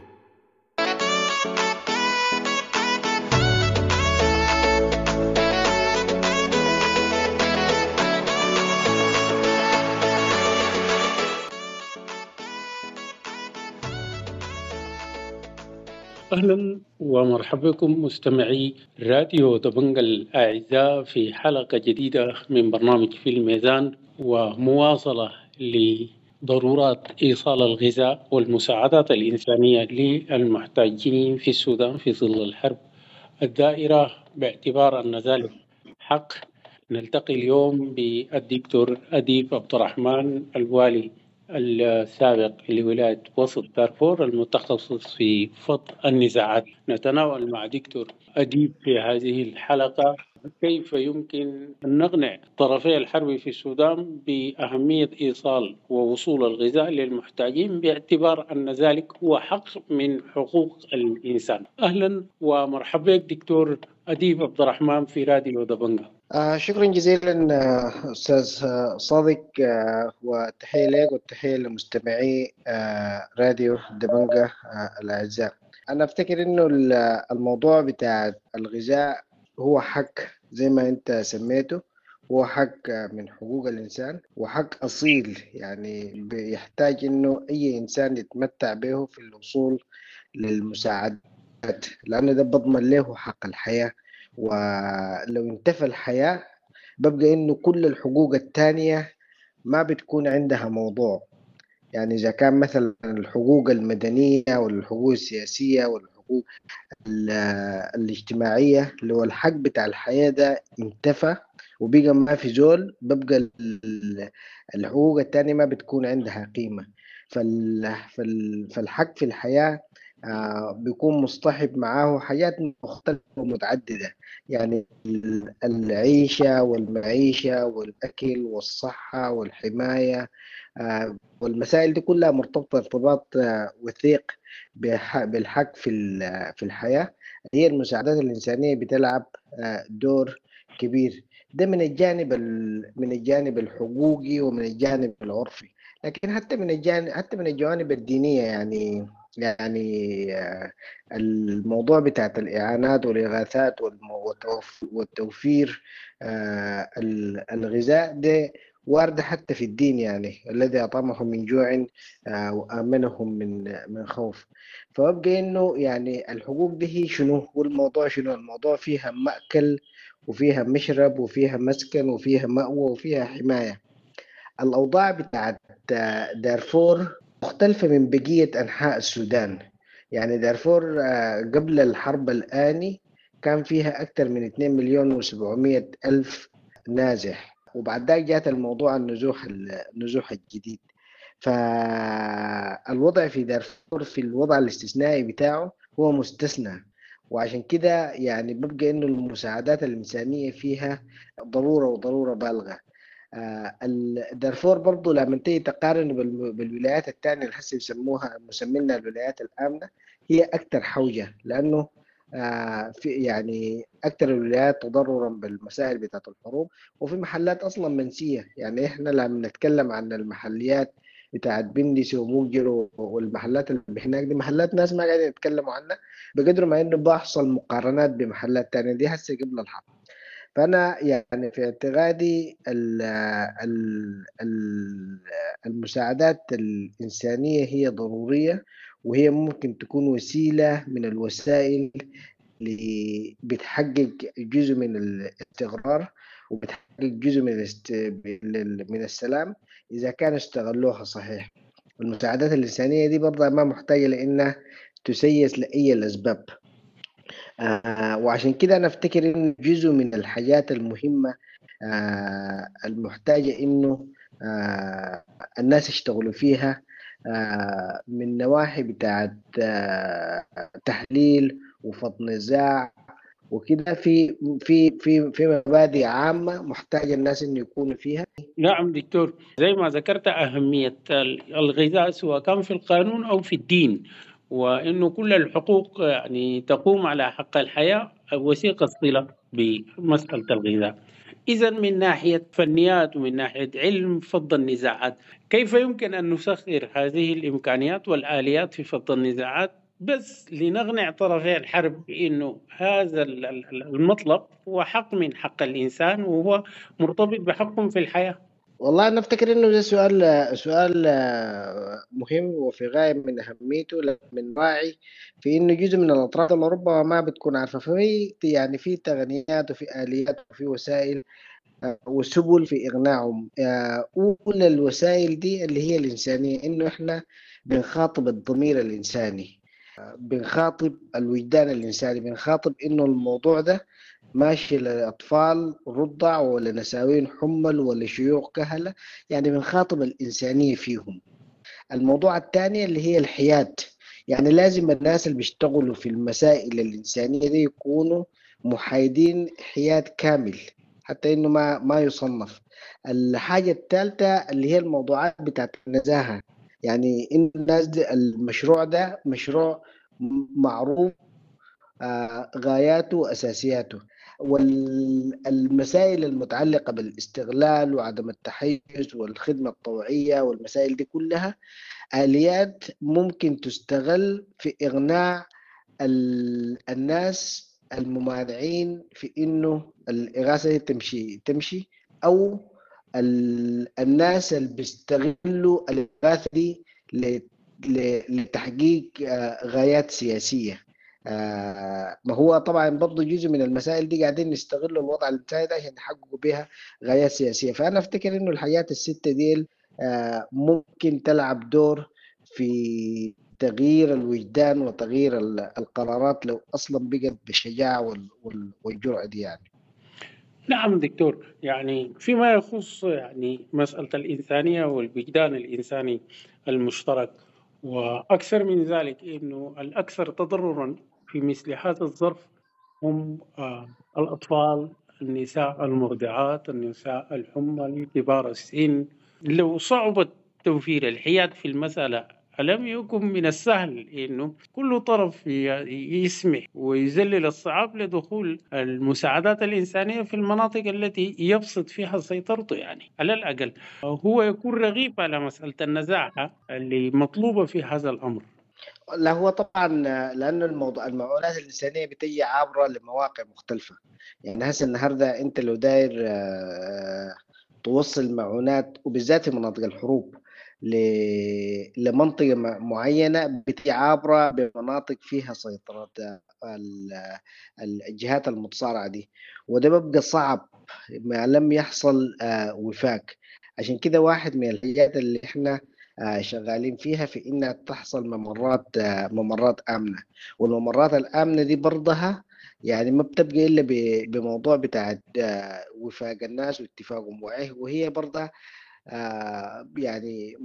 أهلا ومرحبا بكم مستمعي راديو دبنجا الأعزاء في حلقة جديدة من برنامج في الميزان، ومواصلة لضرورات إيصال الغذاء والمساعدات الإنسانية للمحتاجين في السودان في ظل الحرب الدائرة، باعتبار أن ذلك حق. نلتقي اليوم بالدكتور أديب عبد الرحمن، الوالي السابق لولاية وسط دارفور المتخصص في فض النزاعات. نتناول مع دكتور أديب في هذه الحلقة كيف يمكن أن نقنع طرفي الحرب في السودان بأهمية إيصال ووصول الغذاء للمحتاجين، باعتبار أن ذلك هو حق من حقوق الإنسان. أهلا ومرحبا بك دكتور أديب عبد الرحمن في راديو دبنجا. شكرا جزيلا أستاذ صادق، والتحية لك والتحية لمستمعي راديو دبنجا الأعزاء. أنا أفتكر إنه الموضوع بتاع الغذاء هو حق زي ما أنت سميته، هو حق من حقوق الإنسان وحق أصيل، يعني بيحتاج إنه أي إنسان يتمتع به في الوصول للمساعدات، لأنه ده بضمن له حق الحياة. ولو انتفى الحياة ببقى إنه كل الحقوق التانية ما بتكون عندها موضوع. يعني إذا كان مثلا الحقوق المدنية والحقوق السياسية والحقوق الاجتماعية، لو الحق بتاع الحياة ده انتفى وبقى ما في زول، ببقى الحقوق التانية ما بتكون عندها قيمة. فالحق في الحياة بيكون مصطحب معاه حاجات مختلفة ومتعددة، يعني العيشة والمعيشة والأكل والصحة والحماية، والمسائل دي كلها مرتبطة ارتباط وثيق بالحق في الحياة. هي المساعدات الإنسانية بتلعب دور كبير، ده من الجانب الحقوقي ومن الجانب العرفي، لكن حتى من الجوانب الدينية. يعني الموضوع بتاعت الإعانات والإغاثات والتوفير الغذاء ده وارد حتى في الدين، يعني الذي أطعمهم من جوع وآمنهم من خوف. فببقى إنه يعني الحقوق دي هي شنو، والموضوع شنو؟ الموضوع فيها مأكل وفيها مشرب وفيها مسكن وفيها مأوى وفيها حماية. الأوضاع بتاعت دارفور مختلفة من بقية أنحاء السودان. يعني دارفور قبل الحرب الآني كان فيها أكثر من 2,700,000 نازح، وبعد ذلك جاءت الموضوع النزوح الجديد. فالوضع في دارفور في الوضع الاستثنائي بتاعه هو مستثنى، وعشان كده يعني ببقى إنه المساعدات الإنسانية فيها ضرورة وضرورة بالغة. دارفور برضو لما تيجي تقارن بالولايات الثانية اللي هسه يسموها مسمينها الولايات الآمنة، هي أكثر حوجة، لأنه في يعني أكثر الولايات تضررا بالمسائل بتاعت الحروب، وفي محلات أصلا منسية. يعني إحنا لما نتكلم عن المحليات بتاعت بندس وموجر والمحلات اللي هناك دي، محلات ناس ما قاعدين يتكلموا عنها بقدر ما إنه بحصل مقارنات بمحلات تانية دي هسه قبل الحرب. فأنا يعني في اعتقادي المساعدات الإنسانية هي ضرورية، وهي ممكن تكون وسيلة من الوسائل اللي بتحقق جزء من الاستقرار وبتحقق جزء من السلام إذا كان استغلوها صحيح. المساعدات الإنسانية دي برضه ما محتاجة لأنها تسيس لأي الأسباب. وعشان كده أنا أفتكر إنه جزء من الحاجات المهمة المحتاجة إنه الناس يشتغلوا فيها من نواحي بتاعت تحليل وفض نزاع وكده في في في في مبادئ عامة محتاجة الناس إنه يكونوا فيها. نعم دكتور، زي ما ذكرت أهمية الغذاء سواء كان في القانون أو في الدين، وإنه كل الحقوق يعني تقوم على حق الحياة وثيقة الصلة بمسألة الغذاء. إذا من ناحية فنيات ومن ناحية علم فض النزاعات، كيف يمكن أن نسخر هذه الإمكانيات والآليات في فض النزاعات بس لنقنع طرفي الحرب بأنه هذا المطلب هو حق من حق الإنسان وهو مرتبط بحقهم في الحياة؟ والله أنا أفتكر إنه ده سؤال مهم وفي غاية من أهميته، من راعي في إنه جزء من الأطراف اللي ربما ما بتكون عارفة. ففي يعني في تقنيات وفي آليات وفي وسائل وسبل في إغناعهم. أولى الوسائل دي اللي هي الإنسانية، إنه إحنا بنخاطب الضمير الإنساني، بنخاطب الوجدان الإنساني، بنخاطب إنه الموضوع ده ماشي لأطفال رضع ولا نساوين حمل ولا شيوخ كهلة، يعني بنخاطب الإنسانية فيهم. الموضوع الثاني اللي هي الحياد، يعني لازم الناس اللي بيشتغلوا في المسائل الإنسانية دي يكونوا محايدين حياد كامل حتى إنه ما يصنف. الحاجة الثالثة اللي هي الموضوعات بتاعت النزاهة، يعني إن الناس دي المشروع ده مشروع معروف غاياته وأساسياته، والمسائل المتعلقة بالاستغلال وعدم التحيز والخدمة الطوعية والمسائل دي كلها آليات ممكن تستغل في إغناع الناس الممانعين في إنه الإغاثة دي تمشي، أو الناس اللي بيستغلوا الإغاثة دي لتحقيق غايات سياسية. ما هو طبعا برضو جزء من المسائل دي قاعدين نستغلوا الوضع الإنساني ده عشان نحققوا بها غايات سياسية. فأنا أفتكر إنه الحاجات الستة دي ممكن تلعب دور في تغيير الوجدان وتغيير القرارات لو أصلا بقت بالشجاعة والجرأة دي يعني. نعم دكتور، يعني فيما يخص يعني مسألة الإنسانية والوجدان الإنساني المشترك، وأكثر من ذلك إنه الأكثر تضررا في مثل هذا الظرف هم الأطفال، النساء المرضعات، النساء الحمل، كبار السن. لو صعبت توفير الحياد في المسألة، ألم يكن من السهل إنه كل طرف يسمح ويذلل الصعاب لدخول المساعدات الإنسانية في المناطق التي يبسط فيها سيطرته؟ يعني على الأقل هو يكون رغيب على مسألة النزاهة اللي مطلوبة في هذا الأمر. لا هو طبعا لأنه الموضوع المعونات الإنسانية بتجي عابرة لمواقع مختلفة. يعني هسه النهاردة أنت لو داير توصل معونات وبالذات في مناطق الحروب لمنطقة معينة بتجي عابرة بمناطق فيها سيطرة الجهات المتصارعة دي، وده بيبقى صعب ما لم يحصل وفاق. عشان كده واحد من الحاجات اللي احنا شغالين فيها في إنها تحصل ممرات آمنة، والممرات الآمنة دي برضها يعني ما بتبقى إلا بموضوع بتاع وفاق الناس واتفاقهم، وهي برضها يعني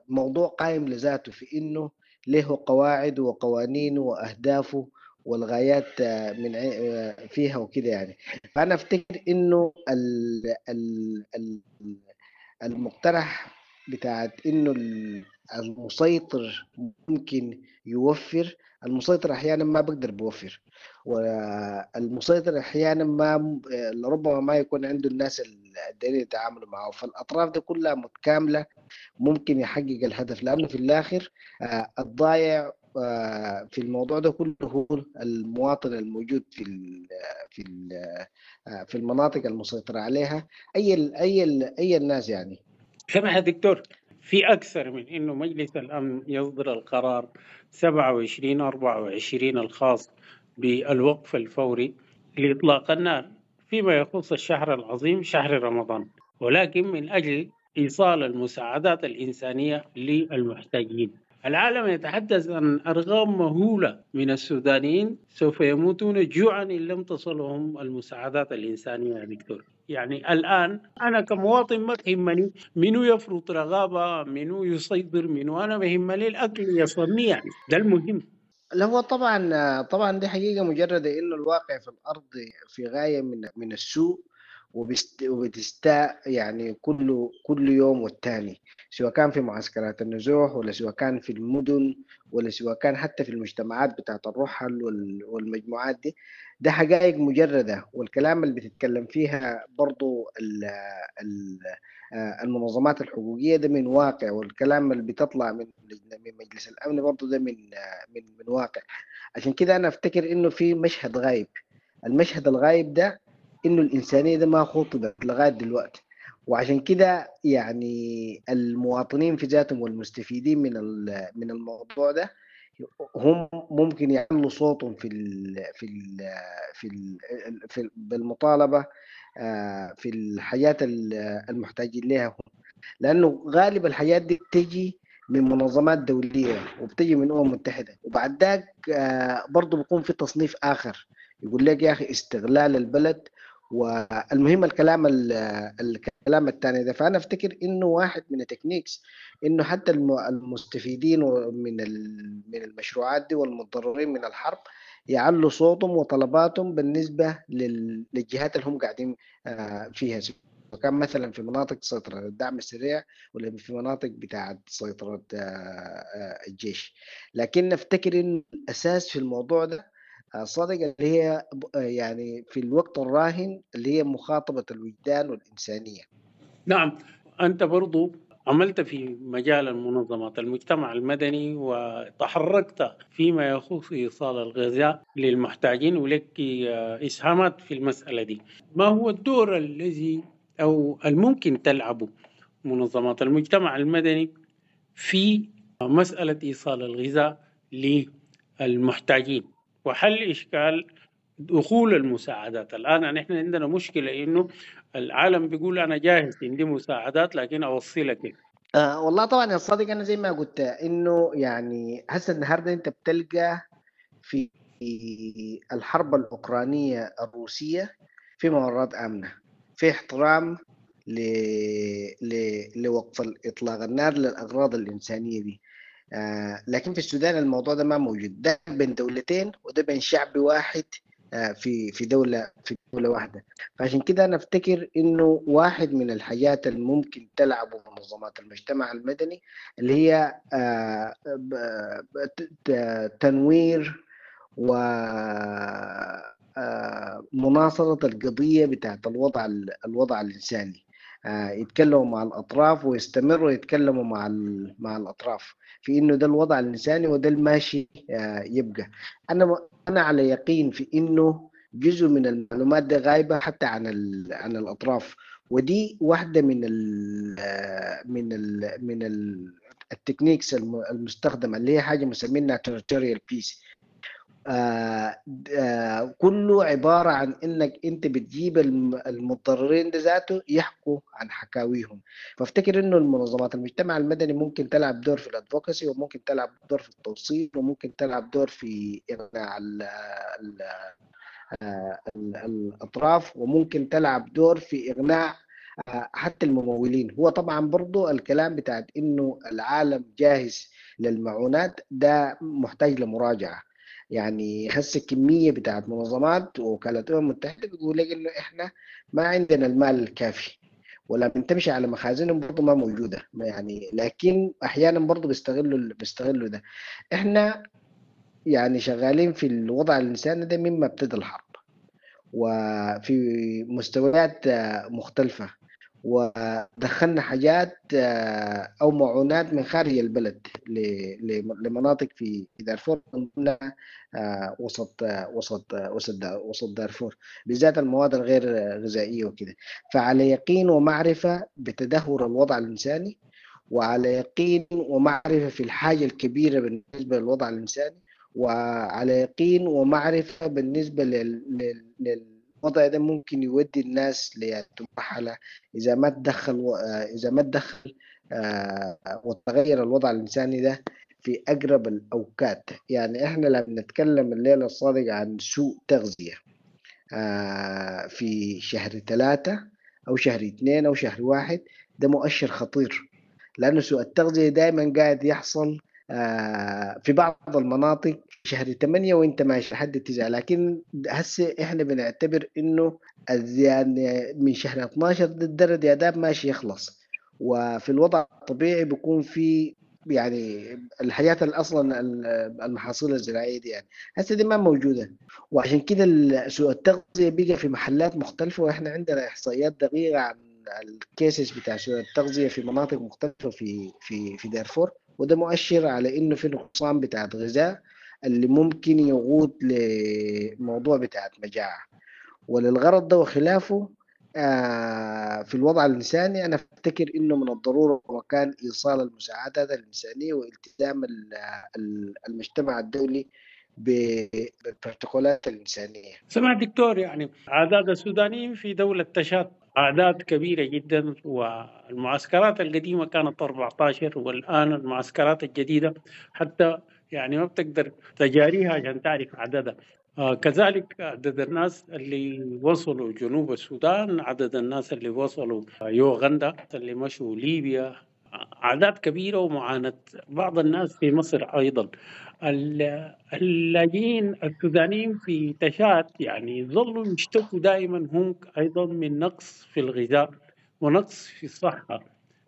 موضوع قائم لذاته في إنه له قواعد وقوانين وأهدافه والغايات من فيها وكده يعني. فأنا أفتكر إنه المقترح بتاعت إنه المسيطر ممكن يوفر، المسيطر أحيانا ما بقدر بوفر، والمسيطر أحيانا ما لربما ما يكون عنده الناس الدليل يتعاملوا معه. فالأطراف دي كلها متكاملة ممكن يحقق الهدف، لأنه في الآخر الضايع في الموضوع ده كله هو المواطن الموجود في ال في ال في المناطق المسيطرة عليها أي ال أي ال أي الناس يعني. سمح يا دكتور، في أكثر من إنه مجلس الأمن يصدر القرار 27-24 الخاص بالوقف الفوري لإطلاق النار فيما يخص الشهر العظيم شهر رمضان، ولكن من أجل إيصال المساعدات الإنسانية للمحتاجين. العالم يتحدث عن أرقام مهولة من السودانيين سوف يموتون جوعا إن لم تصلهم المساعدات الإنسانية يا دكتور. يعني الآن أنا كمواطن ما تهمني منو يفرض رغابة، منو يصيدر، منو، أنا بهمني الأكل يصلني، يعني ده المهم. لا هو طبعا طبعا دي حقيقة مجرده، انه الواقع في الارض في غاية من السوء وبتستاء يعني كل يوم والتاني، سواء كان في معسكرات النزوح ولا سواء كان في المدن ولا سواء كان حتى في المجتمعات بتاعت الرحل والمجموعات دي. ده حقائق مجردة، والكلام اللي بتتكلم فيها برضو ال المنظمات الحقوقية ده من واقع، والكلام اللي بتطلع من مجلس الأمن برضو ده من واقع. عشان كده أنا أفتكر إنه في مشهد غايب. المشهد الغايب ده إنه الإنسانية ده ما خطبت لغاية دلوقتي، وعشان كده يعني المواطنين في ذاتهم والمستفيدين من الموضوع ده هم ممكن يعلوا صوتهم في ال في ال في ال في بالمطالبة في الحاجات المحتاجين لها هم، لأنه غالب الحاجات دي بتجي من منظمات دولية وبتجي من أمم متحدة، وبعد ذاك برضو بيكون في تصنيف آخر يقول لك يا أخي استغلال البلد. والمهم الكلام الثاني ده. فأنا أفتكر إنه واحد من ال techniques إنه حتى المستفيدين من المشروعات دي والمتضررين من الحرب يعلوا صوتهم وطلباتهم بالنسبة للجهات اللي هم قاعدين فيها، سواء كان مثلا في مناطق سيطرة الدعم السريع ولا في مناطق بتاعة سيطرة الجيش. لكن نفتكر إنه الأساس في الموضوع ده صادق اللي هي يعني في الوقت الراهن اللي هي مخاطبة الوجدان والإنسانية. نعم، أنت برضو عملت في مجال المنظمات المجتمع المدني وتحركت فيما يخص إيصال الغذاء للمحتاجين، ولك إسهامات في المسألة دي. ما هو الدور الذي أو الممكن تلعبه منظمات المجتمع المدني في مسألة إيصال الغذاء للمحتاجين وحل إشكال دخول المساعدات؟ الآن نحن عندنا مشكلة إنه العالم بيقول أنا جاهز عندي مساعدات لكن أوصلك كيف؟ والله طبعا يا صديق، أنا زي ما قلت إنه يعني هسه النهاردة أنت بتلقى في الحرب الأوكرانية الروسية في ممرات آمنة، في احترام لوقف إطلاق النار للأغراض الإنسانية دي. لكن في السودان الموضوع ده ما موجود، ده بين دولتين وده بين شعب واحد في دولة واحدة. فعشان كده أنا أفتكر إنه واحد من الحاجات الممكن تلعبه منظمات المجتمع المدني اللي هي تنوير ومناصرة القضية بتاعت الوضع الإنساني. يتكلموا مع الأطراف ويستمروا يتكلموا مع الأطراف في إنه ده الوضع الإنساني وده الماشي يبقى. أنا على يقين في إنه جزء من المعلومات ده غايبة حتى عن الأطراف، ودي واحدة من ال من ال من ال techniques المستخدمة اللي هي حاجة مسمينها territorial peace. كله عبارة عن إنك أنت بتجيب المتضررين ده ذاته يحكوا عن حكاويهم. فافتكر إنه المنظمات المجتمع المدني ممكن تلعب دور في ال advocacy، وممكن تلعب دور في التوصيل، وممكن تلعب دور في إقناع الأطراف، وممكن تلعب دور في إقناع حتى الممولين. هو طبعا برضو الكلام بتاعت إنه العالم جاهز للمعونات ده محتاج لمراجعة. يعني هسه كمية بتاعت منظمات ووكالات الأمم المتحدة بيقول لك إنه إحنا ما عندنا المال الكافي، ولا بنتمشي على مخازنهم برضو ما موجودة يعني. لكن أحيانا برضو بيستغلوا ده. إحنا يعني شغالين في الوضع الإنساني ده مما ابتدى الحرب، وفي مستويات مختلفة، ودخلنا حاجات أو معونات من خارج البلد لمناطق في دارفور، من ضمنها وسط وسط وسط وسط دارفور بالذات المواد الغير غذائية وكده. فعلى يقين ومعرفة بتدهور الوضع الإنساني، وعلى يقين ومعرفة في الحاجة الكبيرة بالنسبة للوضع الإنساني، وعلى يقين ومعرفة بالنسبة للوضع ده ممكن يودي الناس لمرحلة إذا ما تدخل وتغير الوضع الإنساني ده في أقرب الأوقات. يعني إحنا لما نتكلم الليلة الصادقة عن سوء تغذية في شهر 3 أو شهر 2 أو شهر 1، ده مؤشر خطير، لأنه سوء التغذية دائما قاعد يحصل في بعض المناطق شهر 8 وانت ماشي لحد 9، لكن هسه احنا بنعتبر انه يعني من شهر 12 الدرد يا داب ماشي يخلص. وفي الوضع الطبيعي بيكون في يعني الحاجات اللي اصلا المحاصيل الزراعية دي يعني هسه دي ما موجودة، وعشان كده سوء التغذية بقى في محلات مختلفة، واحنا عندنا احصائيات دقيقة عن ال cases بتاع سوء التغذية في مناطق مختلفة في في في دارفور، وده مؤشر على انه في نقصان بتاع غذاء اللي ممكن يقود لموضوع بتاع مجاعة. وللغرض ده وخلافه في الوضع الإنساني أنا أفتكر إنه من الضرورة وكان إيصال المساعدات الإنسانية والتزام المجتمع الدولي بالبروتوكولات الإنسانية. سمع دكتور، يعني أعداد السودانيين في دولة تشاد أعداد كبيرة جدا، والمعسكرات القديمة كانت 14، والآن المعسكرات الجديدة حتى يعني ما بتقدر تجاريها عشان تعرف عددها. كذلك عدد الناس اللي وصلوا جنوب السودان، عدد الناس اللي وصلوا يوغندا، اللي مشوا ليبيا، أعداد كبيرة، ومعاناة بعض الناس في مصر أيضا. اللاجئين السودانيين في تشاد يعني ظلوا يشتكوا دائما هم أيضا من نقص في الغذاء ونقص في الصحة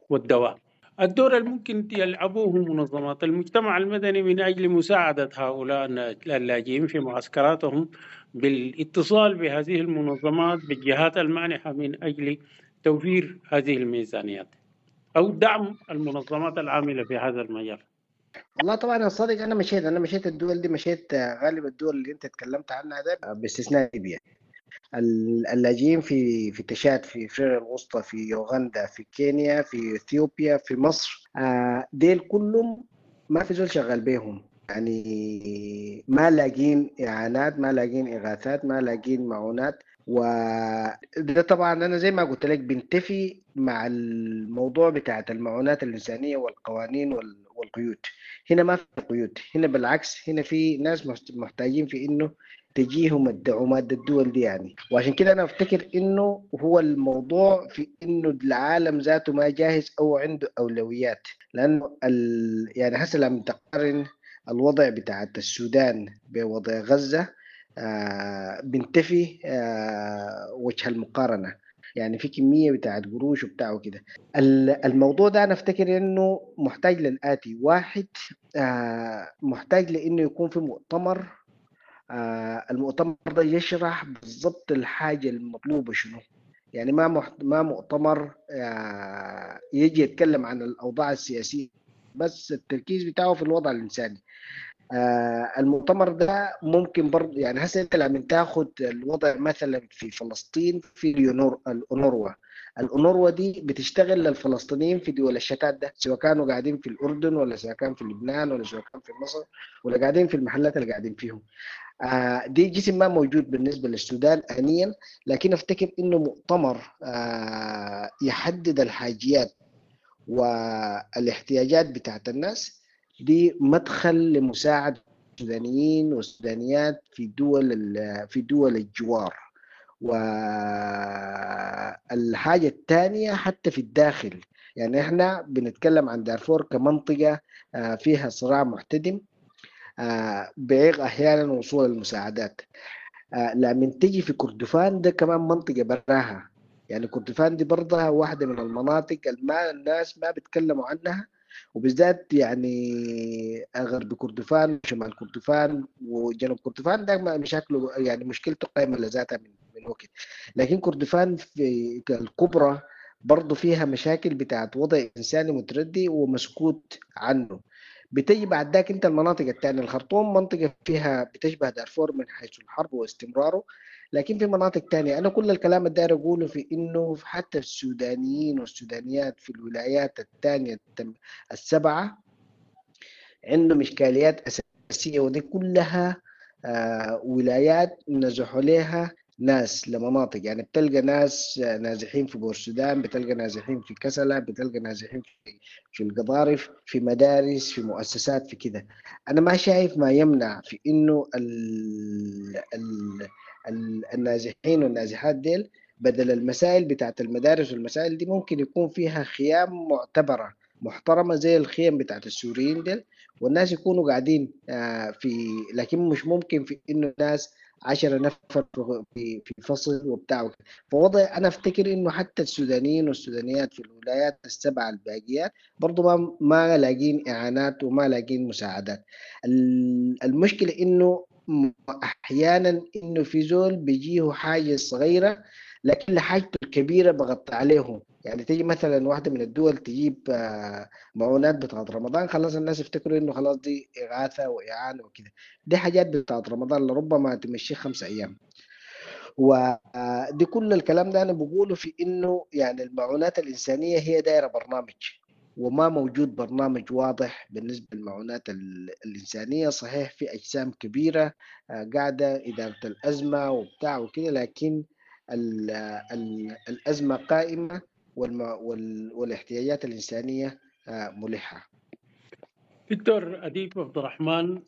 والدواء. الدور الممكن يلعبوه منظمات المجتمع المدني من أجل مساعدة هؤلاء اللاجئين في معسكراتهم بالاتصال بهذه المنظمات بالجهات المانحة من أجل توفير هذه الميزانيات أو دعم المنظمات العاملة في هذا المجال. والله طبعا يا صديق، أنا مشيت الدول دي، مشيت غالب الدول اللي أنت تكلمت عنها ده باستثناء ليبيا. اللاجئين في تشاد، في افريقيا الوسطى، في يوغندا، في كينيا، في اثيوبيا، في مصر، ديل كلهم ما في زول شغال بيهم، يعني ما لاقين اعانات، ما لاقين اغاثات، ما لاقين معونات. وده طبعا انا زي ما قلت لك بنتفي مع الموضوع بتاعت المعونات الانسانية والقوانين والقيود. هنا ما في قيود، هنا بالعكس، هنا في ناس محتاجين في انه تجيهم الدعومات الدول دي يعني. وعشان كده انا افتكر انه هو الموضوع في انه العالم ذاته ما جاهز او عنده اولويات، لانه يعني هسه لما تقارن الوضع بتاع السودان بوضع غزة بنتفي وجه المقارنة، يعني في كمية بتاعت قروش وبتاع وكده. الموضوع ده أنا أفتكر إنه محتاج للآتي: واحد، محتاج لإنه يكون في مؤتمر، المؤتمر ده يشرح بالضبط الحاجة المطلوبة شنو، يعني ما مؤتمر يجي يتكلم عن الأوضاع السياسية بس، التركيز بتاعه في الوضع الإنساني. المؤتمر ده ممكن برضه يعني هسه انت لما تاخد الوضع مثلا في فلسطين، في الأونروا، الأونروا دي بتشتغل للفلسطينيين في دول الشتات ده، سواء كانوا قاعدين في الأردن ولا سواء كان في لبنان ولا سواء كان في مصر ولا قاعدين في المحلات اللي قاعدين فيهم. دي جسم ما موجود بالنسبة للسودان آنيا، لكن افتكر انه مؤتمر يحدد الحاجيات والاحتياجات بتاعت الناس دي مدخل لمساعدة السودانيين والسودانيات في دول الجوار. والحاجة الثانية حتى في الداخل، يعني احنا بنتكلم عن دارفور كمنطقة فيها صراع محتدم بيعيق أحيانا وصول المساعدات. لما تجي في كردفان ده كمان منطقة براها، يعني كردفان دي برضها واحدة من المناطق اللي الناس ما بيتكلموا عنها، وبالذات يعني غرب كردفان وشمال كردفان وجنوب كردفان ده مشاكله يعني مشكلته قائمة لذاتها من وقت. لكن كردفان في الكبرى برضو فيها مشاكل بتاعت وضع إنساني متردي ومسكوت عنه. بتجي بعد ذاك انت المناطق الثانية، الخرطوم منطقة فيها بتشبه دارفور من حيث الحرب واستمراره، لكن في مناطق تانية. أنا كل الكلام الداير أقوله في إنه حتى السودانيين والسودانيات في الولايات الثانية السبعة عندهم إشكاليات أساسية، ودي كلها ولايات نزحوا لها ناس لمناطق. يعني بتلقى ناس نازحين في بورسودان، بتلقى نازحين في كسلة، بتلقى نازحين في القضارف، في مدارس، في مؤسسات، في كده. أنا ما شايف ما يمنع في إنه النازحين والنازحات ديل بدل المسائل بتاعت المدارس والمسائل دي ممكن يكون فيها خيام معتبرة محترمه زي الخيم بتاعت السوريين ديل، والناس يكونوا قاعدين في، لكن مش ممكن في انه الناس 10 نفر في فصل وبتاع. فوضع انا افتكر انه حتى السودانيين والسودانيات في الولايات السبعة الباقيات برضو ما لاقين اعانات وما لاقين مساعدات. المشكلة انه احيانا انه في زول بيجيه حاجة صغيرة لكن لحاجته الكبيرة بغطي عليهم. يعني تيجي مثلا واحدة من الدول تجيب معونات بتاعت رمضان، خلاص الناس يفتكروا انه خلاص دي اغاثه واعانه وكده، دي حاجات بتاعت رمضان لربما تمشي 5 ايام. ودي كل الكلام ده انا بقوله في انه يعني المعونات الانسانية هي دايرة برنامج، وما موجود برنامج واضح بالنسبة للمعونات الإنسانية. صحيح في أجسام كبيرة قاعدة إدارة الأزمة وبتاع وكده، لكن الأزمة قائمة والاحتياجات الإنسانية ملحة. دكتور أديب عبد الرحمن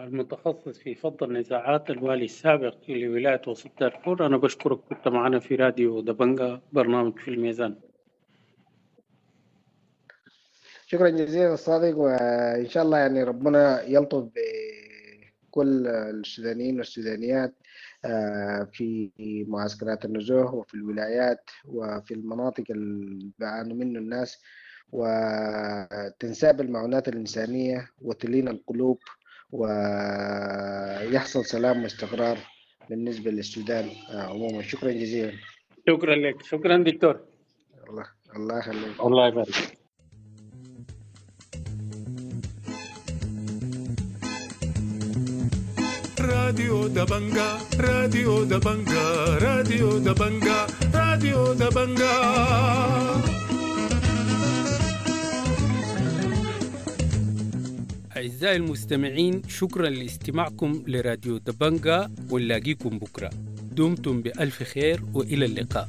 المتخصص في فض النزاعات، الوالي السابق لولاية وسط دارفور، أنا بشكرك كنت معنا في راديو دبنجة برنامج في الميزان. شكرا جزيلا الصادق، وإن شاء الله يعني ربنا يلطف بكل السودانيين والسودانيات في معسكرات النزوح وفي الولايات وفي المناطق اللي بيعانوا منه الناس، وتنساب المعونات الإنسانية وتلين القلوب ويحصل سلام واستقرار بالنسبة للسودان عموما. شكرا جزيلا. شكرا لك. شكرا دكتور. الله يخليك. الله يبارك. راديو دبنجا، راديو دبنجا، راديو دبنجا، راديو دبنجا. أعزائي المستمعين، شكرا لاستماعكم لراديو دبنجا، ونلاقيكم بكرة. دمتم بألف خير وإلى اللقاء.